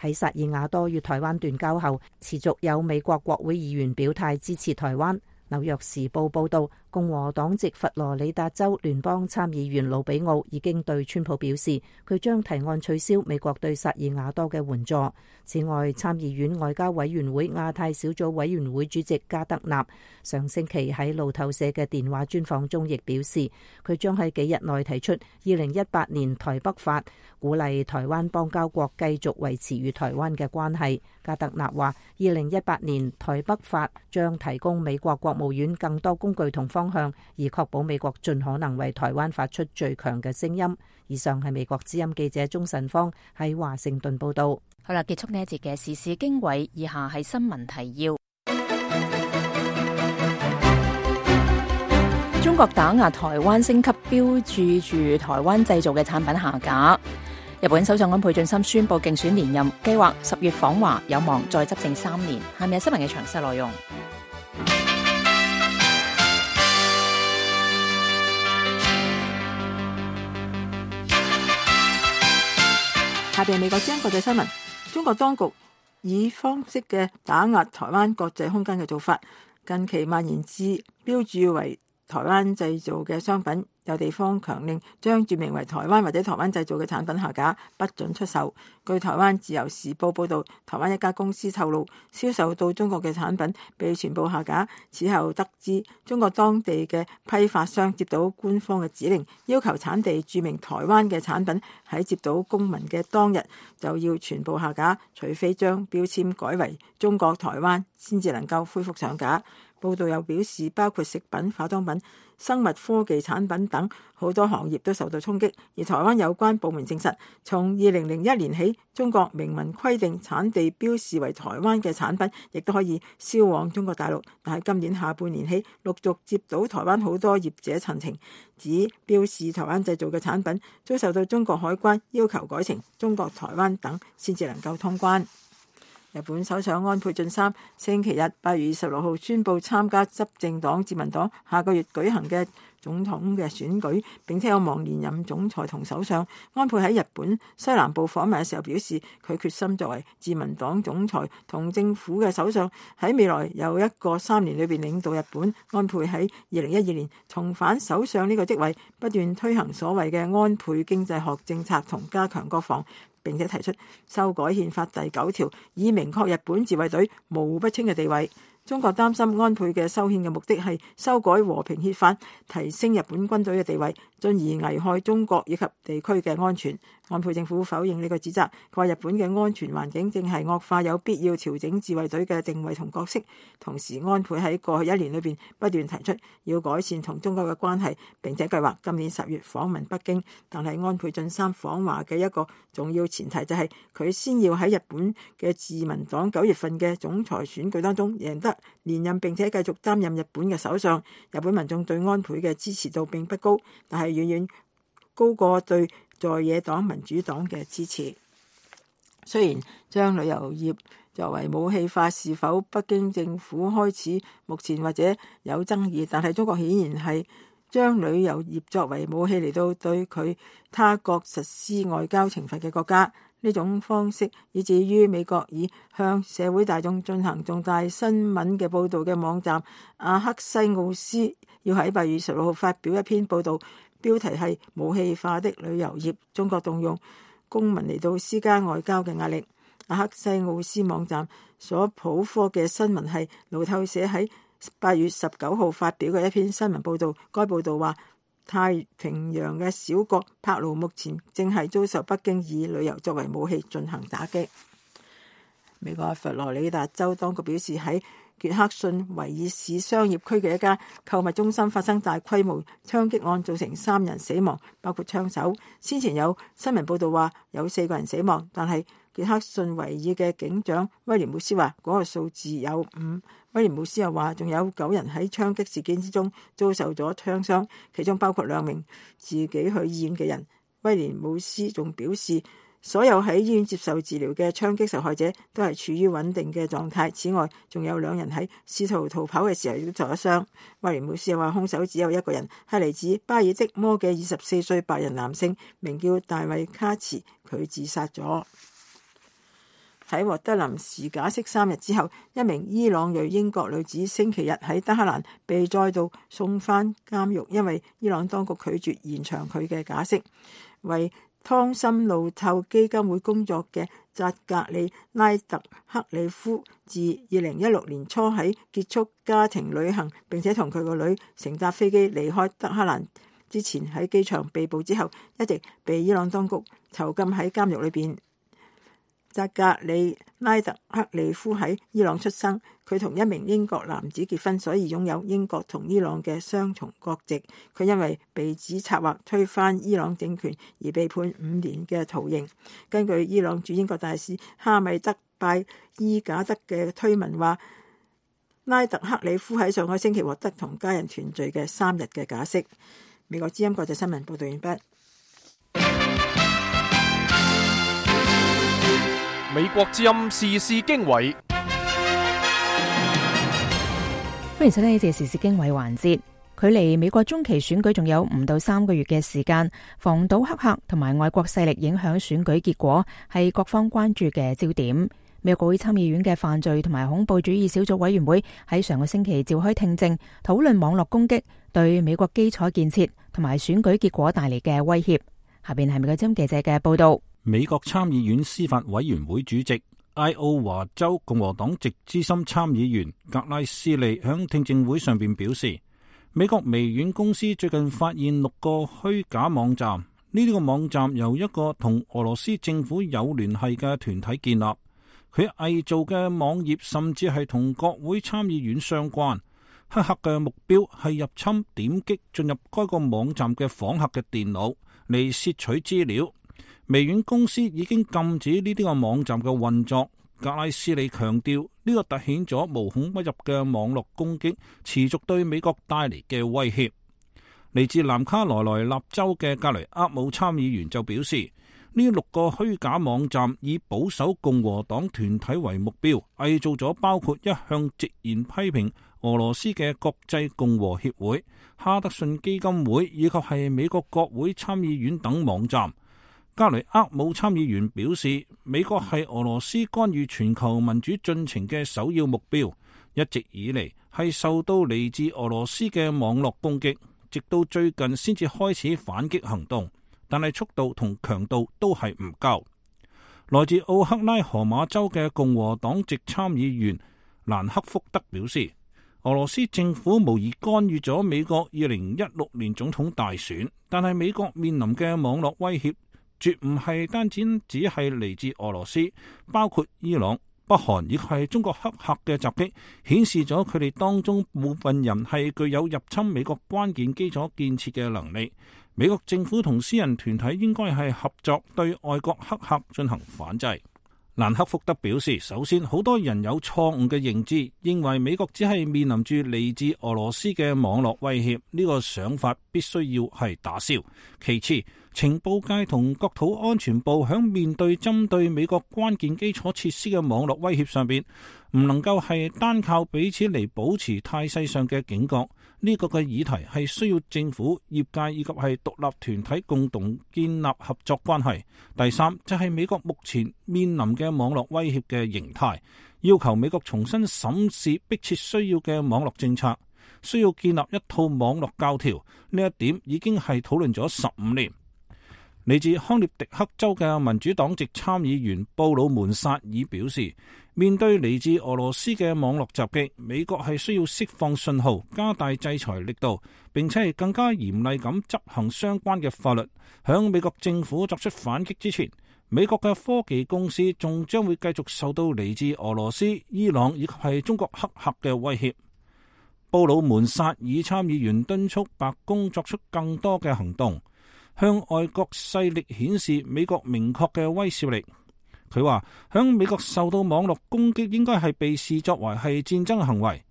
喺薩爾瓦多與台灣斷交後，持續有美國國會議員表態支持台灣。紐約時報報道，共和黨籍佛羅里達州聯邦參議員魯比奧已經對川普表示，佢將提案取消美國對薩爾瓦多嘅援助。此外，參議院外交委員會亞太小組委員會主席加德納上星期喺路透社嘅電話專訪中亦表示，佢將喺幾日內提出2018年台北法，鼓勵台灣邦交國繼續維持與台灣嘅關係。加德納話，2018年台北法將提供美國國務院更多工具同方方向，而確保美國盡可能為台灣發出最強嘅聲音。以上係美國之音記者鍾晨芳喺華盛頓報道。好啦，結束呢一節嘅時事經緯，以下係新聞提要。中國打壓台灣升級標註住台灣製造嘅產品下架。日本首相安倍晉三宣布競選連任，計劃10月訪華，有望再執政3年。下面係新聞嘅詳細內容。下邊美國之音國際新聞。中國當局以方式嘅打壓台灣國際空間嘅做法，近期蔓延至標註為台灣製造嘅商品，有地方強令將註明為台灣或者台灣製造嘅產品下架，不准出售。據台灣自由時報報導，台灣一家公司透露，銷售到中國嘅產品被全部下架。此後得知，中國當地嘅批發商接到官方嘅指令，要求產地註明台灣嘅產品喺接到公文嘅當日就要全部下架，除非將標籤改為中國台灣，先至能夠恢復上架。報道又表示，包括食品、化妝品、生物科技產品等好多行業都受到衝擊。而台灣有關部門證實，從2001年起，中國明文規定產地標示為台灣嘅產品，亦都可以銷往中國大陸。但係今年下半年起，陸續接到台灣好多業者陳情，指標示台灣製造嘅產品遭受到中國海關要求改成中國台灣等，先至能夠通關。日本首相安倍晉三星期日8月26號宣布參加執政黨自民黨下個月舉行嘅總統嘅選舉，並且有望連任總裁同首相。安倍喺日本西南部訪問嘅時候表示，佢決心作為自民黨總裁同政府嘅首相，喺未來有一個3年裏邊領導日本。安倍喺2012年重返首相呢個職位，不斷推行所謂嘅安倍經濟學政策同加強國防，並且提出修改憲法第9條，以明確日本自衛隊模糊不清嘅地位。中國擔心安倍嘅修憲嘅目的係修改和平憲法，提升日本軍隊嘅地位，進而危害中國以及地區嘅安全。安倍政府否認呢個指責，佢話日本嘅安全環境正係惡化，有必要調整自衛隊嘅定位同角色。同時，安倍喺過去1年裏邊不斷提出要改善同中國嘅關係，並且計劃今年10月訪問北京。但係安倍晉三訪華嘅一個重要前提就係佢先要喺日本嘅自民黨9月份嘅總裁選舉當中贏得連任，並且繼續擔任日本嘅首相。日本民眾對安倍嘅支持度並不高，但係遠遠高過對在野黨民主黨嘅支持。雖然將旅遊業作為武器化是否北京政府開始目前或者有爭議，但係中國顯然係將旅遊業作為武器嚟到對佢他國實施外交懲罰嘅國家。呢種方式以至於美國以向社會大眾進行重大新聞嘅報導嘅網站阿克西奧斯要喺8月26號發表一篇報導，標題係武器化的旅遊業，中國動用公民嚟到施加外交嘅壓力。阿克西奧斯網站所普科嘅新聞係路透社喺8月19號發表嘅一篇新聞報導，該報導話太平洋嘅小國帕勞目前正係遭受北京以旅遊作為武器進行打擊。美國佛羅里達州當局表示，喺傑克遜維爾市商業區嘅一家購物中心發生大規模槍擊案，造成3人死亡，包括槍手。先前有新聞報道話有4個人死亡，但係傑克遜維爾嘅警長威廉姆斯話嗰個數字有5。威廉姆斯又話仲有9人喺槍擊事件之中遭受咗槍傷，其中包括2名自己去醫院嘅人。威廉姆斯仲表示，所有喺醫院接受治療嘅槍擊受害者都係處於穩定嘅狀態。此外，仲有2人喺試圖逃跑嘅時候亦都受咗傷。威廉姆斯又話，兇手只有一個人，係嚟自巴爾的摩嘅24歲白人男性，名叫大衛卡茨，佢自殺咗。喺獲得臨時假釋3日之後，一名伊朗裔英國女子星期日喺德黑蘭被再度送返監獄，因為伊朗當局拒絕延長佢嘅假釋。為湯森路透基金會工作嘅扎格里拉特克里夫，自2016年初喺結束家庭旅行並且同佢個女乘搭飛機離開德黑蘭之前，喺機場被捕之後，一直被伊朗當局囚禁喺監獄裏邊。扎格里拉特克里夫喺伊朗出生，佢同一名英國男子結婚，所以擁有英國同伊朗嘅雙重國籍。佢因為被指策劃推翻伊朗政權而被判5年嘅徒刑。根據伊朗駐英國大使哈米德拜伊賈德嘅推文話，拉特克里夫喺上個星期獲得同家人團聚嘅3日嘅假釋。美國之音國際新聞報道完畢。美國之音時事經緯，歡迎收聽呢節時事經緯環節。距離美國中期選舉仲有唔到3個月嘅時間，防堵黑客同埋外國勢力影響選舉結果係各方關注嘅焦點。美國國會參議院嘅犯罪同埋恐怖主義小組委員會喺上個星期召開聽證，討論網絡攻擊對美國基礎建設同埋選舉結果帶嚟嘅威脅。下邊係美國之音記者嘅報道。美國參議院司法委員會主席愛奧華州共和黨籍資深參議員格拉斯利響聽證會上邊表示，美國微軟公司最近發現6個虛假網站，呢啲個網站由一個同俄羅斯政府有聯繫嘅團體建立，佢偽造嘅網頁甚至係同國會參議院相關。黑客嘅目標係入侵點擊進入該個網站嘅訪客嘅電腦嚟竊取資料。微軟公司已經禁止呢啲個網站嘅運作。格拉斯利強調，呢個凸顯咗無孔不入嘅網絡攻擊持續對美國帶嚟嘅威脅。嚟自南卡羅來納州嘅格雷厄姆參議員就表示，呢6個虛假網站以保守共和黨團體為目標，偽造咗包括一向直言批評俄羅斯嘅國際共和協會、哈德遜基金會以及係美國國會參議院等網站。格雷厄姆參議員表示，美國係俄羅斯干預全球民主進程嘅首要目標，一直以嚟係受到嚟自俄羅斯嘅網絡攻擊，直到最近先至開始反擊行動，但係速度同強度都係唔夠。來自奧克拉荷馬州嘅共和黨籍參議員蘭克福德表示，俄羅斯政府無疑干預咗美國2016年總統大選，但係美國面臨嘅網絡威脅絕唔係單只係嚟自俄羅斯，包括伊朗、北韓亦係中國黑客嘅襲擊，顯示咗佢哋當中部分人係具有入侵美國關鍵基礎建設嘅能力。美國政府同私人團體應該係合作對外國黑客進行反制。蘭克福德表示，首先好多人有錯誤嘅認知，認為美國只係面臨住嚟自俄羅斯嘅網絡威脅，呢個想法必須要係打消。其次，情報界同國土安全部響面對針對美國關鍵基礎設施嘅網絡威脅上邊，唔能夠係單靠彼此嚟保持態勢上嘅警覺。呢個嘅議題係需要政府、業界以及係獨立團體共同建立合作關係。第三就係美國目前面臨嘅網絡威脅嘅形態，要求美國重新審視迫切需要嘅網絡政策，需要建立一套網絡教條。呢一點已經係討論咗15年。嚟自康涅狄克州嘅民主黨籍參議員布魯門薩爾表示，面對嚟自俄羅斯嘅網絡襲擊，美國係需要釋放信號，加大制裁力度，並且係更加嚴厲咁執行相關嘅法律。響美國政府作出反擊之前，美國嘅科技公司仲將會繼續受到嚟自俄羅斯、伊朗以及係中國黑客嘅威脅。布魯門薩爾參議員敦促白宮作出更多嘅行動，向外國勢力顯示美國明確嘅威懾力。佢話，響美國受到網絡攻擊應該係被視作為係戰爭行為，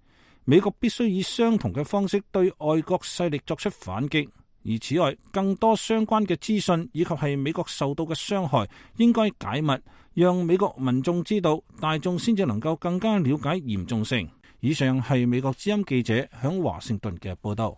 美國必須以相同嘅方式對外國勢力作出反擊。而此外，更多相關嘅資訊以及係美國受到嘅傷害應該解密，讓美國民眾知道，大眾先至能夠更加了解嚴重性。以上係美國之音記者響華盛頓嘅報道。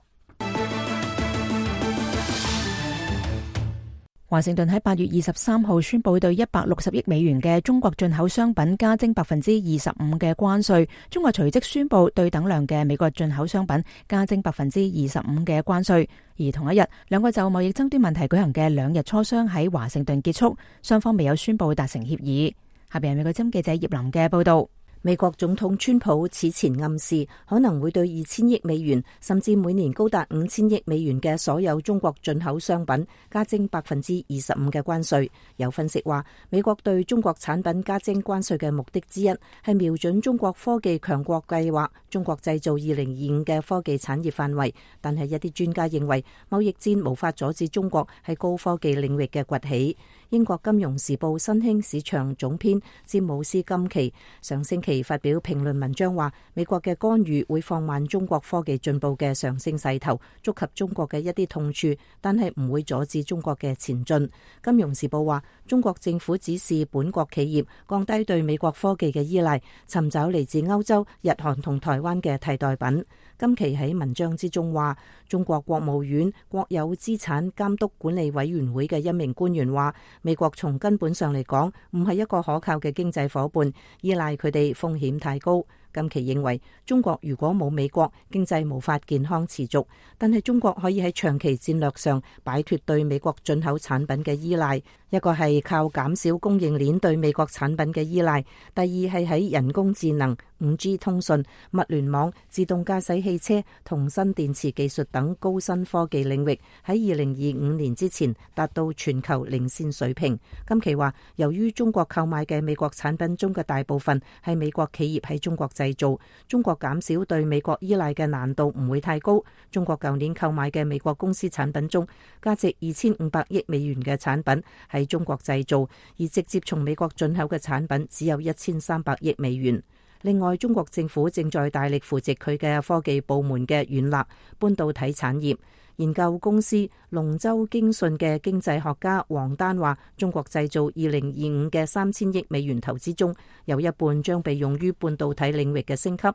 華盛頓喺8月23號宣布對160億美元嘅中國進口商品加徵25%嘅關稅，中國隨即宣布對等量嘅美國進口商品加徵25%嘅關稅。而同一日，兩個就貿易爭端問題舉行嘅2日磋商喺華盛頓結束，雙方未有宣布達成協議。下邊係美國之音記者葉林嘅報道。美國總統川普此前暗示可能會對2000億美元甚至每年高達5000億美元嘅所有中國進口商品加徵25%嘅關稅。有分析話，美國對中國產品加徵關稅嘅目的之一係瞄準中國科技強國計劃中國製造2025嘅科技產業範圍，但係一啲專家認為貿易戰無法阻止中國喺高科技領域嘅崛起。英國金融時報新興市場總編詹姆斯金奇上星期發表評論文章話，美國嘅干預會放慢中國科技進步嘅上升勢頭，觸及中國嘅一啲痛處，但係唔會阻止中國嘅前進。金融時報話，中國政府指示本國企業降低對美國科技嘅依賴，尋找嚟自歐洲、日韓同台灣嘅替代品。金奇喺文章之中話，中國國務院國有資產監督管理委員會嘅一名官員話，美國從根本上嚟講唔係一個可靠嘅經濟夥伴，依賴佢哋風險太高。金奇認為，中國如果冇美國，經濟無法健康持續，但係中國可以喺長期戰略上擺脫對美國進口產品嘅依賴。一個係靠減少供應鏈對美國產品嘅依賴，第二係喺人工智能、5G 通訊、物聯網、自動駕駛汽車同新電池技術等高新科技領域喺2025年之前達到全球領先水平。金奇話，由於中國購買嘅美國產品中嘅大部分係美國企業喺中國製造，中國減少對美國依賴嘅難度唔會太高。中國舊年購買嘅美國公司產品中，價值2500億美元嘅產品喺中國製造，而直接從美國進口嘅產品只有1300億美元。另外，中國政府正在大力扶植佢嘅科技部門嘅軟肋半導體產業。研究公司龍舟經訊嘅經濟學家王丹話，中國製造2025嘅3000億美元投資中，有一半將被用於半導體領域嘅升級。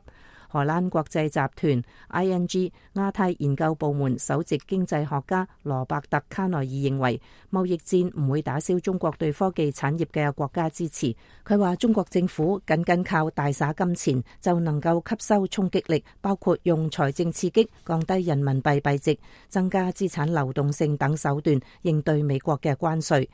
荷蘭國際集團 ING 亞太研究部門首席經濟學家羅伯特卡內爾認為，貿易戰唔會打消中國對科技產業嘅國家支持。佢話，中國政府僅靠大灑金錢就能夠吸收衝擊力，包括用財政刺激、降低人民幣幣值、增加資產流動性等手段應對美國嘅關稅。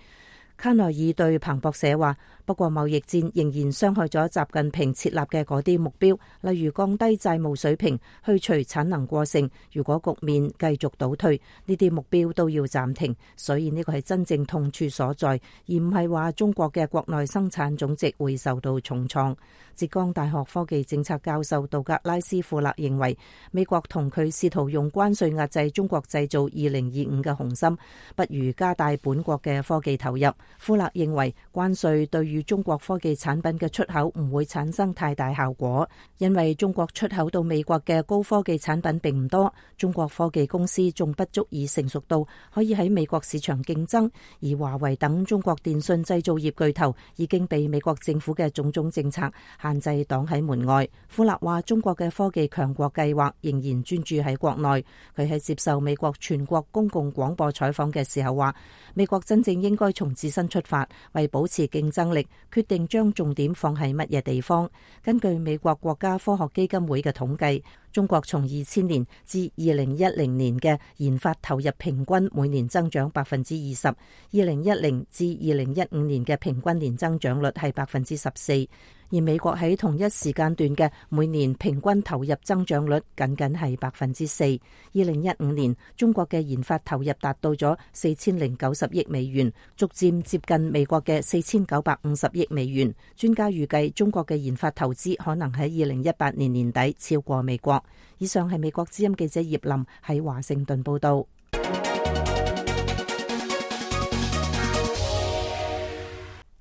卡內爾對彭博社話，不過貿易戰仍然傷害咗習近平設立嘅嗰啲目標，例如降低債務水平、去除產能過剩。如果局面繼續倒退，呢啲目標都要暫停。所以呢個係真正痛處所在，而唔係話中國嘅國內生產總值會受到重創。浙江大學科技政策教授杜格拉斯庫勒認為，美國同佢試圖用關稅壓制中國製造2025嘅雄心，不如加大本國嘅科技投入。庫勒認為，關稅對於中國科技產品嘅出口唔會產生太大效果，因為中國出口到美國嘅高科技產品並唔多，中國科技公司仲不足以成熟到可以喺美國市場競爭，而華為等中國電信製造業巨頭已經被美國政府嘅種種政策限制擋喺門外。庫勒話，中國嘅科技強國計劃仍然專注喺國內。佢喺接受美國全國公共廣播採訪嘅時候話，美國真正應該從自身出發，為保持競爭力，決定將重點放喺乜嘢地方。根據美國國家科學基金會嘅統計，中國從2000年至2010年嘅研發投入平均每年增長20%，2010至2015年嘅平均年增長率係14%，而美國喺同一時間段嘅每年平均投入增長率僅僅係4%。2015年，中國嘅研發投入達到咗4090億美元，逐漸接近美國嘅4950億美元。專家預計，中國嘅研發投資可能喺2018年年底超過美國。以上係美國之音記者葉林喺華盛頓報道。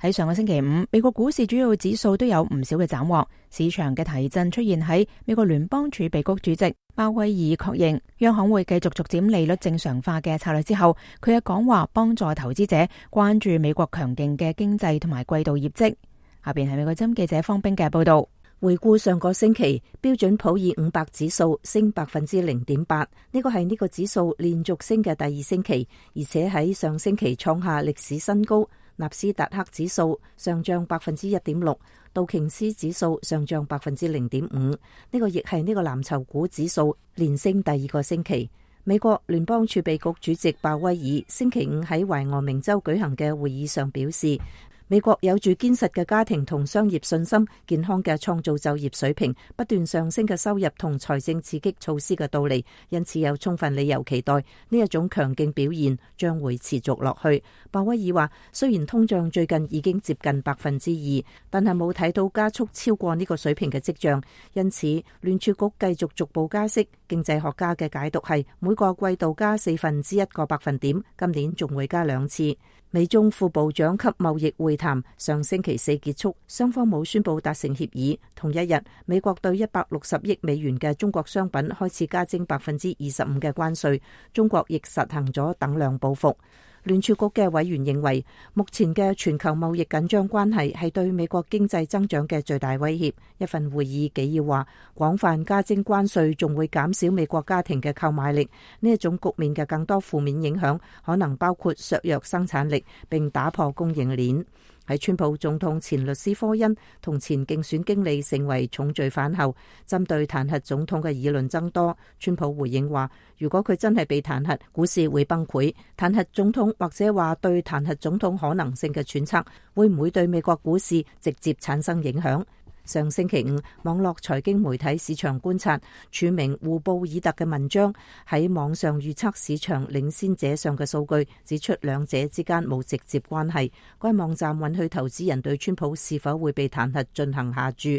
喺上個星期五，美國股市主要指數都有唔少嘅斬獲，市場嘅提振出現喺美國聯邦儲備局主席鮑威爾確認央行會繼續逐漸利率正常化嘅策略之後，佢嘅講話幫助投資者關注美國強勁嘅經濟同埋季度業績。下邊係美國之音記者方冰嘅報道。回顧上個星期，標準普爾500指數升0.8%，呢個係呢個指數連續升嘅第二星期，而且喺上星期創下歷史新高。納斯達克指數上漲1.6%，道瓊斯指數上漲0.5%，呢個亦係呢個藍籌股指數連升第二個星期。美國聯邦儲備局主席鮑威爾星期五喺懷俄明州舉行嘅會議上表示，美國有住堅實嘅家庭同商業信心、健康嘅創造就業水平、不斷上升嘅收入同財政刺激措施嘅到嚟，因此有充分理由期待呢一種強勁表現將會持續落去。鮑威爾話：雖然通脹最近已經接近2%，但係冇睇到加速超過呢個水平嘅跡象，因此聯儲局繼續逐步加息。經濟學家嘅解讀係每個季度加1/4個百分點，今年仲會加2次。美中副部長級貿易會談上星期4結束，雙方冇宣布達成協議。同一日，美國對160億美元嘅中國商品開始加徵25%嘅關稅，中國亦實行咗等量報復。聯儲局嘅委員認為，目前嘅全球貿易緊張關係係對美國經濟增長嘅最大威脅。一份會議紀要話，廣泛加徵關稅仲會減少美國家庭嘅購買力。呢一種局面嘅更多負面影響可能包括削弱生產力並打破供應鏈。喺川普總統前律師科恩同前競選經理成為重罪犯後，針對彈劾總統嘅議論增多。川普回應話，如果佢真係被彈劾，股市會崩潰。彈劾總統或者話對彈劾總統可能性嘅揣測，會唔會對美國股市直接產生影響？上星期五，網絡財經媒體市場觀察署名胡布爾特嘅文章喺網上預測市場領先者上嘅數據，指出兩者之間冇直接關係。該網站允許投資人對川普是否會被彈劾進行下注。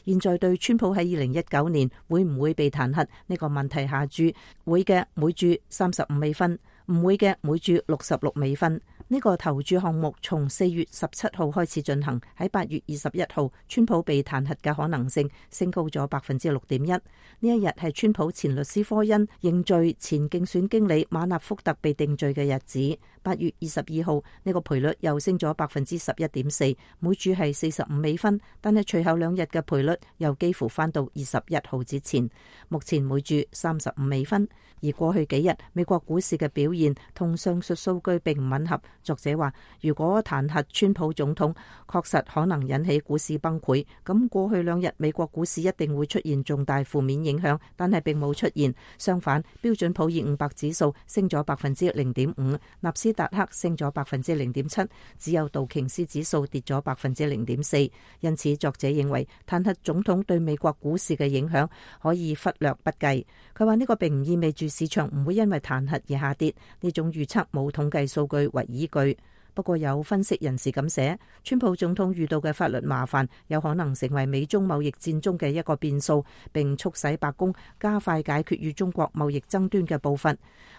現在對川普喺2019年會唔會被彈劾呢個問題下注，會嘅每注35美分，唔會嘅每注66美分。呢個投注項目從4月17號開始進行，喺8月21號，川普被彈劾嘅可能性升高咗6.1%。呢一日係川普前律師科恩認罪前競選經理馬納福特被定罪嘅日子。8月22號，呢個賠率又升咗11.4%，每注係45美分，但係隨後2日嘅賠率又幾乎翻到21號之前，目前每注35美分。而過去幾日美國股市嘅表現同上述數據並唔吻合。作者話，如果彈劾川普總統確實可能引起股市崩潰，咁過去2日美國股市一定會出現重大負面影響，但係並冇出現。相反，標準普爾500指數升咗0.5%，納斯達克升咗0.7%，只有道瓊斯指數跌咗0.4%。因此，作者認為彈劾總統對美國股市嘅影響可以忽略不計。佢話呢個並唔意味住市場唔會因為彈劾而下跌，呢種預測冇統計數據為依據。不過有分析人士咁寫，川普總統遇到嘅法律麻煩有可能成為美中貿易戰中嘅一個變數，並促使白宮加快解決與中國貿易爭端嘅步伐。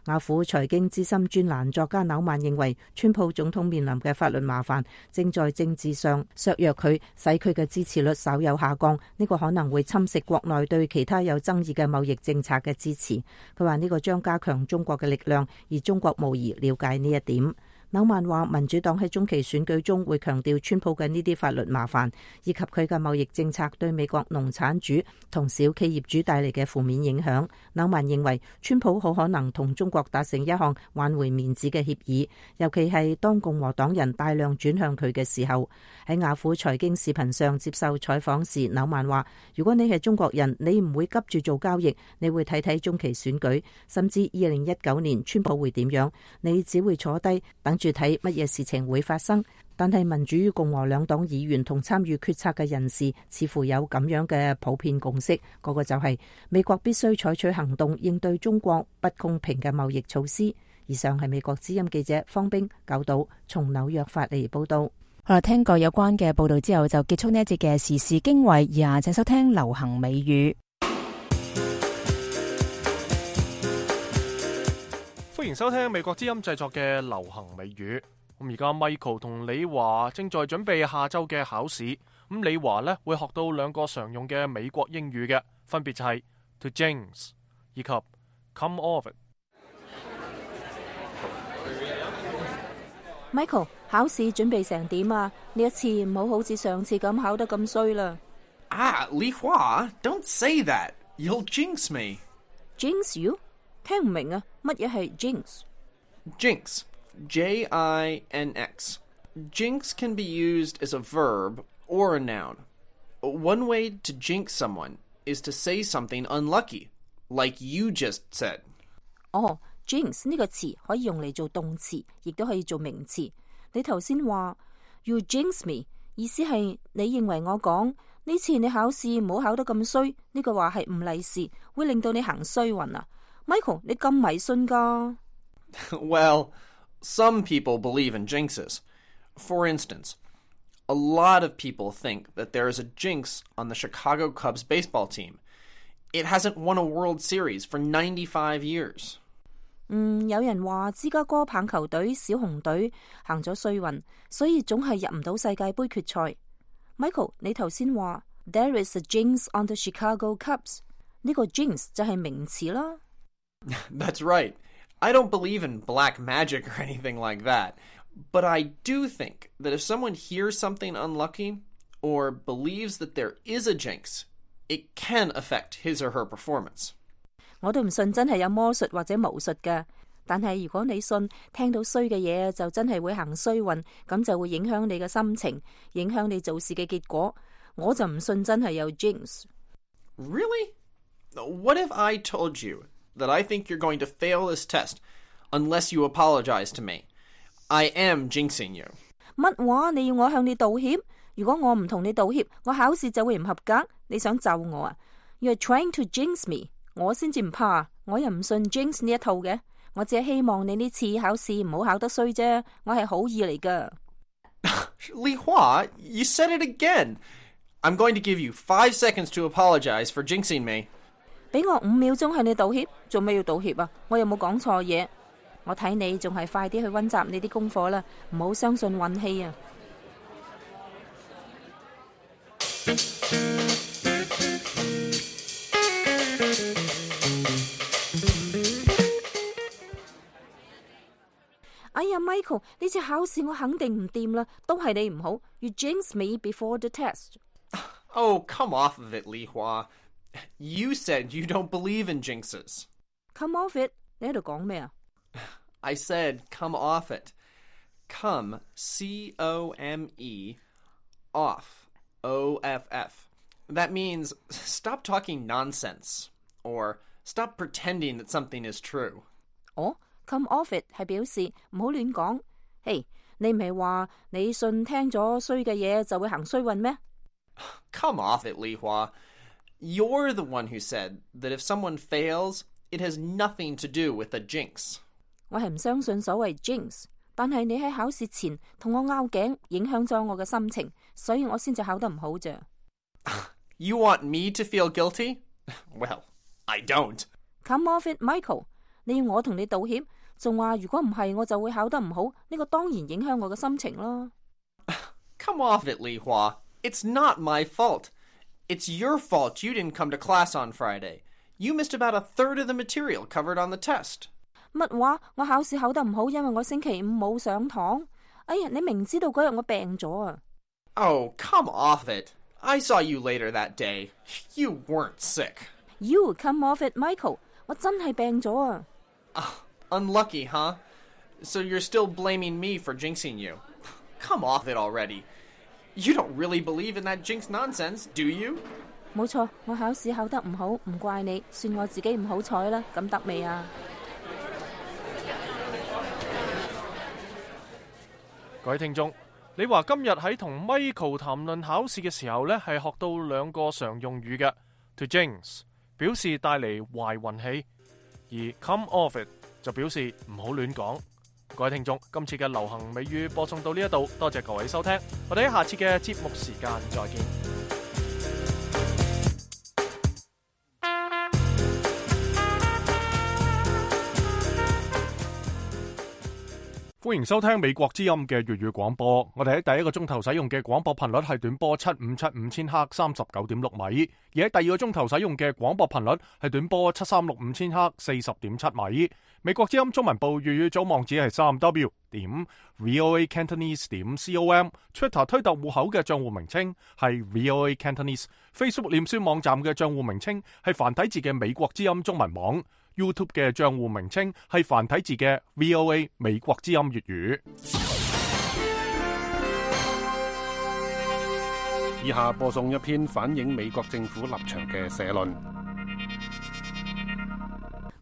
雅虎財經資深專欄作家紐曼認為，川普總統面臨嘅法律麻煩正在政治上削弱佢，使佢嘅支持率稍有下降。呢個可能會侵蝕國內對其他有爭議嘅貿易政策嘅支持。佢話呢個將加強中國嘅力量，而中國無疑了解呢一點。紐曼話，民主黨喺中期選舉中會強調川普嘅呢啲法律麻煩，以及佢嘅貿易政策對美國農產主同小企業主帶嚟嘅負面影響。紐曼認為，川普好可能同中國達成一項挽回面子嘅協議，尤其係當共和黨人大量轉向佢嘅時候。喺雅虎財經視頻上接受採訪時，紐曼話，如果你係中國人，你唔會急住做交易，你會睇睇中期選舉，甚至2019年川普會點樣，你只會坐低等住睇乜嘢事情會發生。但係民主與共和兩黨議員同參與決策嘅人士似乎有咁樣嘅普遍共識，嗰個就係美國必須採取行動應對中國不公平嘅貿易措施。以上係美國之音記者方冰九島從紐約發嚟報道。好啦，聽過有關嘅報道之後，就結束呢一節嘅時事經緯，以下請收聽流行美語。歡迎收聽美國之音製作嘅流行美語。咁而家 Michael 同李華正在準備下週嘅考試。咁李華呢會學到2個常用嘅美國英語嘅，分別就係 to jinx 以及 come off it。Michael， 考試準備成點啊？呢一次唔好好似上次咁考得咁衰啦。李華 ，don't say that. You'll jinx me. Jinx you？ 聽唔明啊？乜嘢係 jinx？Jinx, J-I-N-X. Jinx can be used as a verb or a noun. One way to jinx someone is to say something unlucky, like you just said. Jinx 呢個詞可以用嚟做動詞，亦都可以做名詞。你頭先話， You jinx me， 意思係你認為我講呢次你考試唔好考得咁衰，呢句話係唔利是，會令到你行衰運啊。Michael， 你咁迷信㗎？ Well, some people believe in jinxes. For instance, a lot of people think that there is a jinx on the Chicago Cubs baseball team. It hasn't won a World Series for 95 years. 有人話芝加哥棒球隊小熊隊行咗衰運，所以總係入唔到世界盃決賽。Michael， 你頭先話 There is a jinx on the Chicago Cubs， 呢個 jinx 就係名詞啦。That's right. I don't believe in black magic or anything like that. But I do think that if someone hears something unlucky or believes that there is a jinx, it can affect his or her performance. 我都唔信真係有魔術或者巫術㗎，但係如果你信聽到衰嘅嘢就真係會行衰運，咁就會影響你嘅心情，影響你做事嘅結果。我就唔信真係有 jinx。 Really? What if I told you that I think you're going to fail this test unless you apologize to me? I am jinxing you. 乜話？你要我向你道歉？如果我唔同你道歉，我考試就會唔合格。你想咒我啊？ You're trying to jinx me。 我先至唔怕，我又唔信 jinx 呢一套嘅。我只係希望你呢次考試唔好考得衰啫，我係好意嚟㗎。Li Hua, you said it again. I'm going to give you 5 seconds to apologize for jinxing me. 俾我5秒鐘向你道歉，做咩要道歉啊？我有冇講錯嘢？我睇你仲係快啲去溫習你啲功課啦，唔好相信運氣啊！哎呀 ，Michael， 呢次考試我肯定唔掂啦，都係你唔好。You jinx me before the test. Oh, come off of it, Li Hua. You said you don't believe in jinxes. Come off it， 你喺度講咩啊？ I said come off it. Come, C-O-M-E, off, O-F-F. That means stop talking nonsense, or stop pretending that something is true. 哦，come off it 係表示唔好亂講。嘿，你唔係話你信聽咗衰嘅嘢就會行衰運咩？ Come off it, Li Hua. You're the one who said that if someone fails, it has nothing to do with a jinx. 我係唔相信所謂 jinx， 但係你喺考試前同我拗頸，影響咗我嘅心情，所以我先至考得唔好啫。You want me to feel guilty? Well, I don't. Come off it, Michael. 你要我同你道歉，仲話如果唔係我就會考得唔好，呢個當然影響我嘅心情啦。Come off it, Li Hua. It's not my fault. It's your fault you didn't come to class on Friday. You missed about 1/3 of the material covered on the test. 乜話？我考試考得唔好，因為我星期五冇上堂。哎呀，你明知道嗰日我病咗啊！ Oh, come off it. I saw you later that day. You weren't sick. You come off it, Michael. 我真係病咗啊！ Unlucky, huh? So you're still blaming me for jinxing you. Come off it already. You don't really believe in that jinx nonsense, do you? 冇錯，我考試考得唔好，唔怪你，算我自己唔好彩啦。咁得未啊？各位聽眾，你話今日喺同 Michael 談論考試嘅時候呢，係學到2個常用語嘅 to jinx 表示帶嚟壞運氣，而 come off it 就表示唔好亂講。各位聽眾，今次嘅流行美語播送到呢一度，多謝各位收聽，我哋喺下次嘅節目時間再見。歡迎收聽美國之音嘅粵語廣播。我哋喺第一個鐘頭使用嘅廣播頻率係短波7575千赫39.6米，而喺第二個鐘頭使用嘅廣播頻率係短波7365千赫40.7米。美國之音中文部粵語組網址係3w.voacantonese.com，Twitter 推特戶口嘅賬戶名稱係 VOA Cantonese，Facebook 臉書網站嘅賬戶名稱係繁體字嘅美國之音中文網。YouTube 嘅賬戶名稱係繁體字嘅 VOA 美國之音粵語。以下播送一篇反映美國政府立場嘅社論。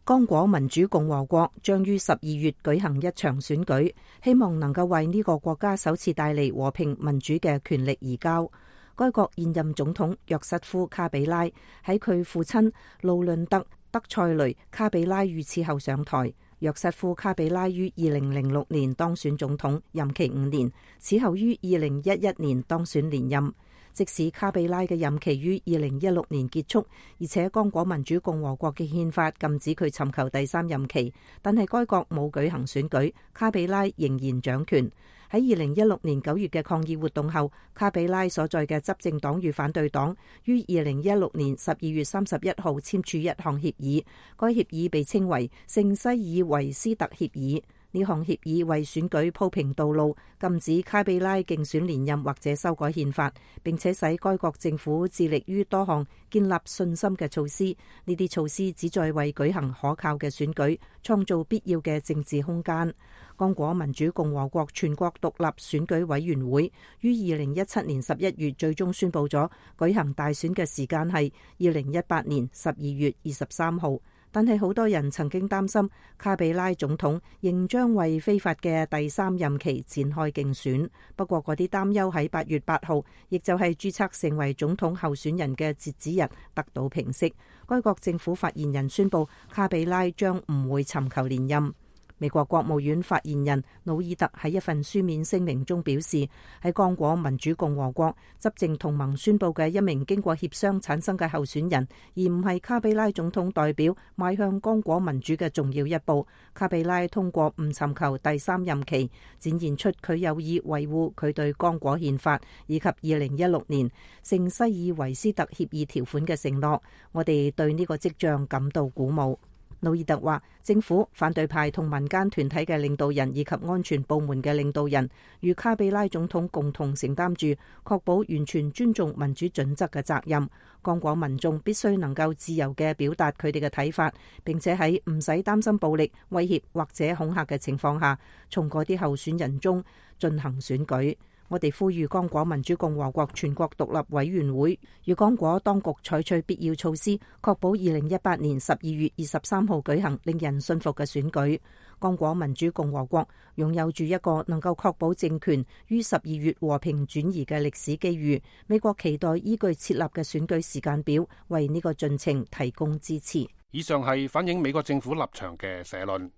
剛果民主共和國將於12月舉行一場選舉，希望能夠為呢個國家首次帶嚟和平民主嘅權力移交。該國現任總統約瑟夫·卡比拉喺佢父親路倫特·德塞雷·卡比拉遇刺後上台。約瑟夫·卡比拉於2006年當選總統，任期5年，此後於2011年當選連任。即使卡比拉嘅任期於2016年結束，而且剛果民主共和國嘅憲法禁止佢尋求第3任期，但係該國冇舉行選舉，卡比拉仍然掌權。喺2016年9月嘅抗議活動後，卡比拉所在嘅執政黨與反對黨於2016年12月31號簽署一項協議，該協議被稱為聖西爾維斯特協議。呢項協議為選舉鋪平道路，禁止卡比拉競選連任或者修改憲法，並且使該國政府致力於多項建立信心嘅措施。呢啲措施旨在為舉行可靠嘅選舉創造必要嘅政治空間。剛果民主共和國全國獨立選舉委員會於2017年11月最終宣布咗舉行大選嘅時間係2018年12月23號。但係好多人曾經擔心卡比拉總統仍將為非法嘅第3任期展開競選。不過嗰啲擔憂喺8月8號，亦就係註冊成為總統候選人嘅截止日得到平息。該國政府發言人宣布卡比拉將唔會尋求連任。美國國務院發言人努爾特喺一份書面聲明中表示，喺剛果民主共和國執政同盟宣布嘅一名經過協商產生嘅候選人，而唔係卡比拉總統代表邁向剛果民主嘅重要一步。卡比拉通過唔尋求第3任期，展現出佢有意維護佢對剛果憲法以及2016年聖西爾維斯特協議條款嘅承諾。我哋對呢個跡象感到鼓舞。努爾特話，政府、反對派同民間團體嘅領導人以及安全部門嘅領導人與卡比拉總統共同承擔住確保完全尊重民主準則嘅責任。剛果民眾必須能夠自由嘅表達佢哋嘅睇法，並且喺唔使擔心暴力、威脅或者恐嚇嘅情況下，從嗰啲候選人中進行選舉。我哋呼籲剛果民主共和國全國獨立委員會與剛果當局採取必要措施，確保2018年12月23號舉行令人信服嘅選舉。剛果民主共和國擁有住一個能夠確保政權於12月和平轉移嘅歷史機遇。美國期待依據設立嘅選舉時間表，為呢個進程提供支持。以上係反映美國政府立場嘅社論。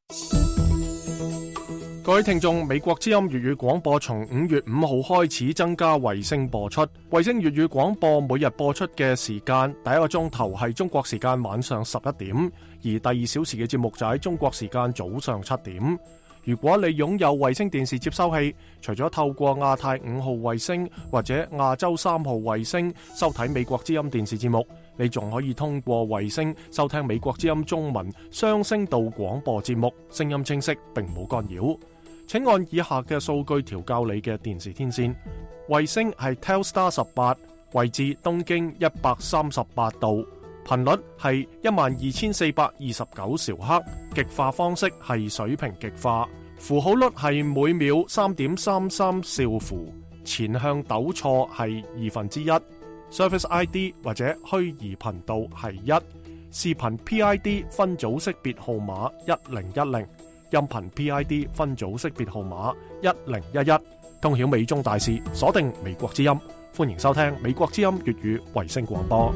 各位聽眾，美國之音粵語廣播從5月5號開始增加衛星播出。衛星粵語廣播每日播出嘅時間，第一個鐘頭係中國時間晚上11點，而第2小時嘅節目就喺中國時間早上7點。如果你擁有衛星電視接收器，除咗透過亞太5號衛星或者亞洲3號衛星收睇美國之音電視節目，你仲可以通過衛星收聽美國之音中文雙聲道廣播節目，聲音清晰並冇干擾。請按以下嘅數據調校你嘅電視天線。衛星係 Telstar 18，位置東經138度，頻率係12429兆赫，極化方式係水平極化，符號率係每秒 3.33 兆符，前向糾錯係1/2，Service ID 或者虛擬頻道係1，視頻 PID 分組識別號碼1010。音頻 PID 分組識別號碼1011，通曉美中大事，鎖定美國之音，歡迎收聽美國之音粵語衛星廣播。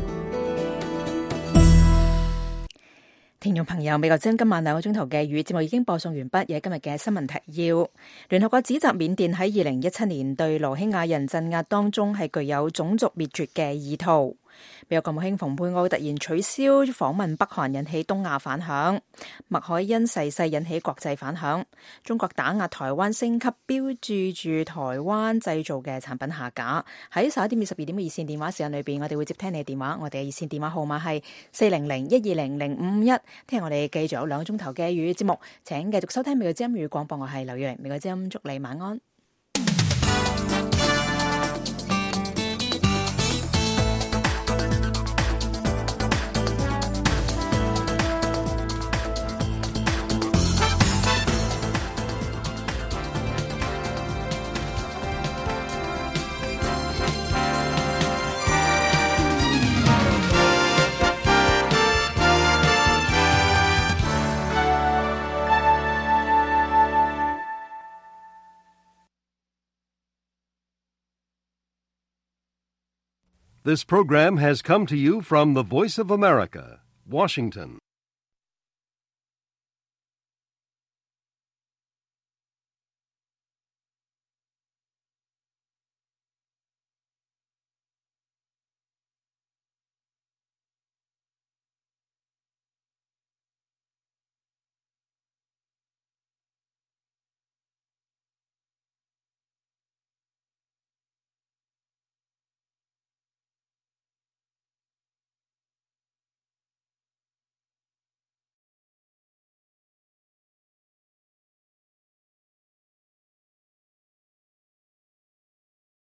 聽眾朋友，美國之音今晚2個鐘頭嘅粵語節目已經播送完畢，有今日嘅新聞提要。聯合國指責緬甸喺2017年對羅興亞人鎮壓當中係具有種族滅絕嘅意圖。美國國務卿蓬佩奧突然取消訪問北韓，引起東亞反響。麥凱恩逝世引起國際反響。中國打壓台灣升級，標誌住台灣製造嘅產品下架。喺11點至12點嘅熱線電話時間裏邊，我哋會接聽你嘅電話。我哋嘅熱線電話號碼係400-120-051。聽日我哋繼續有2個鐘頭嘅粵語節目，請繼續收聽美國之音粵語廣播。我係劉月，美國之音祝你晚安。This program has come to you from the Voice of America, Washington.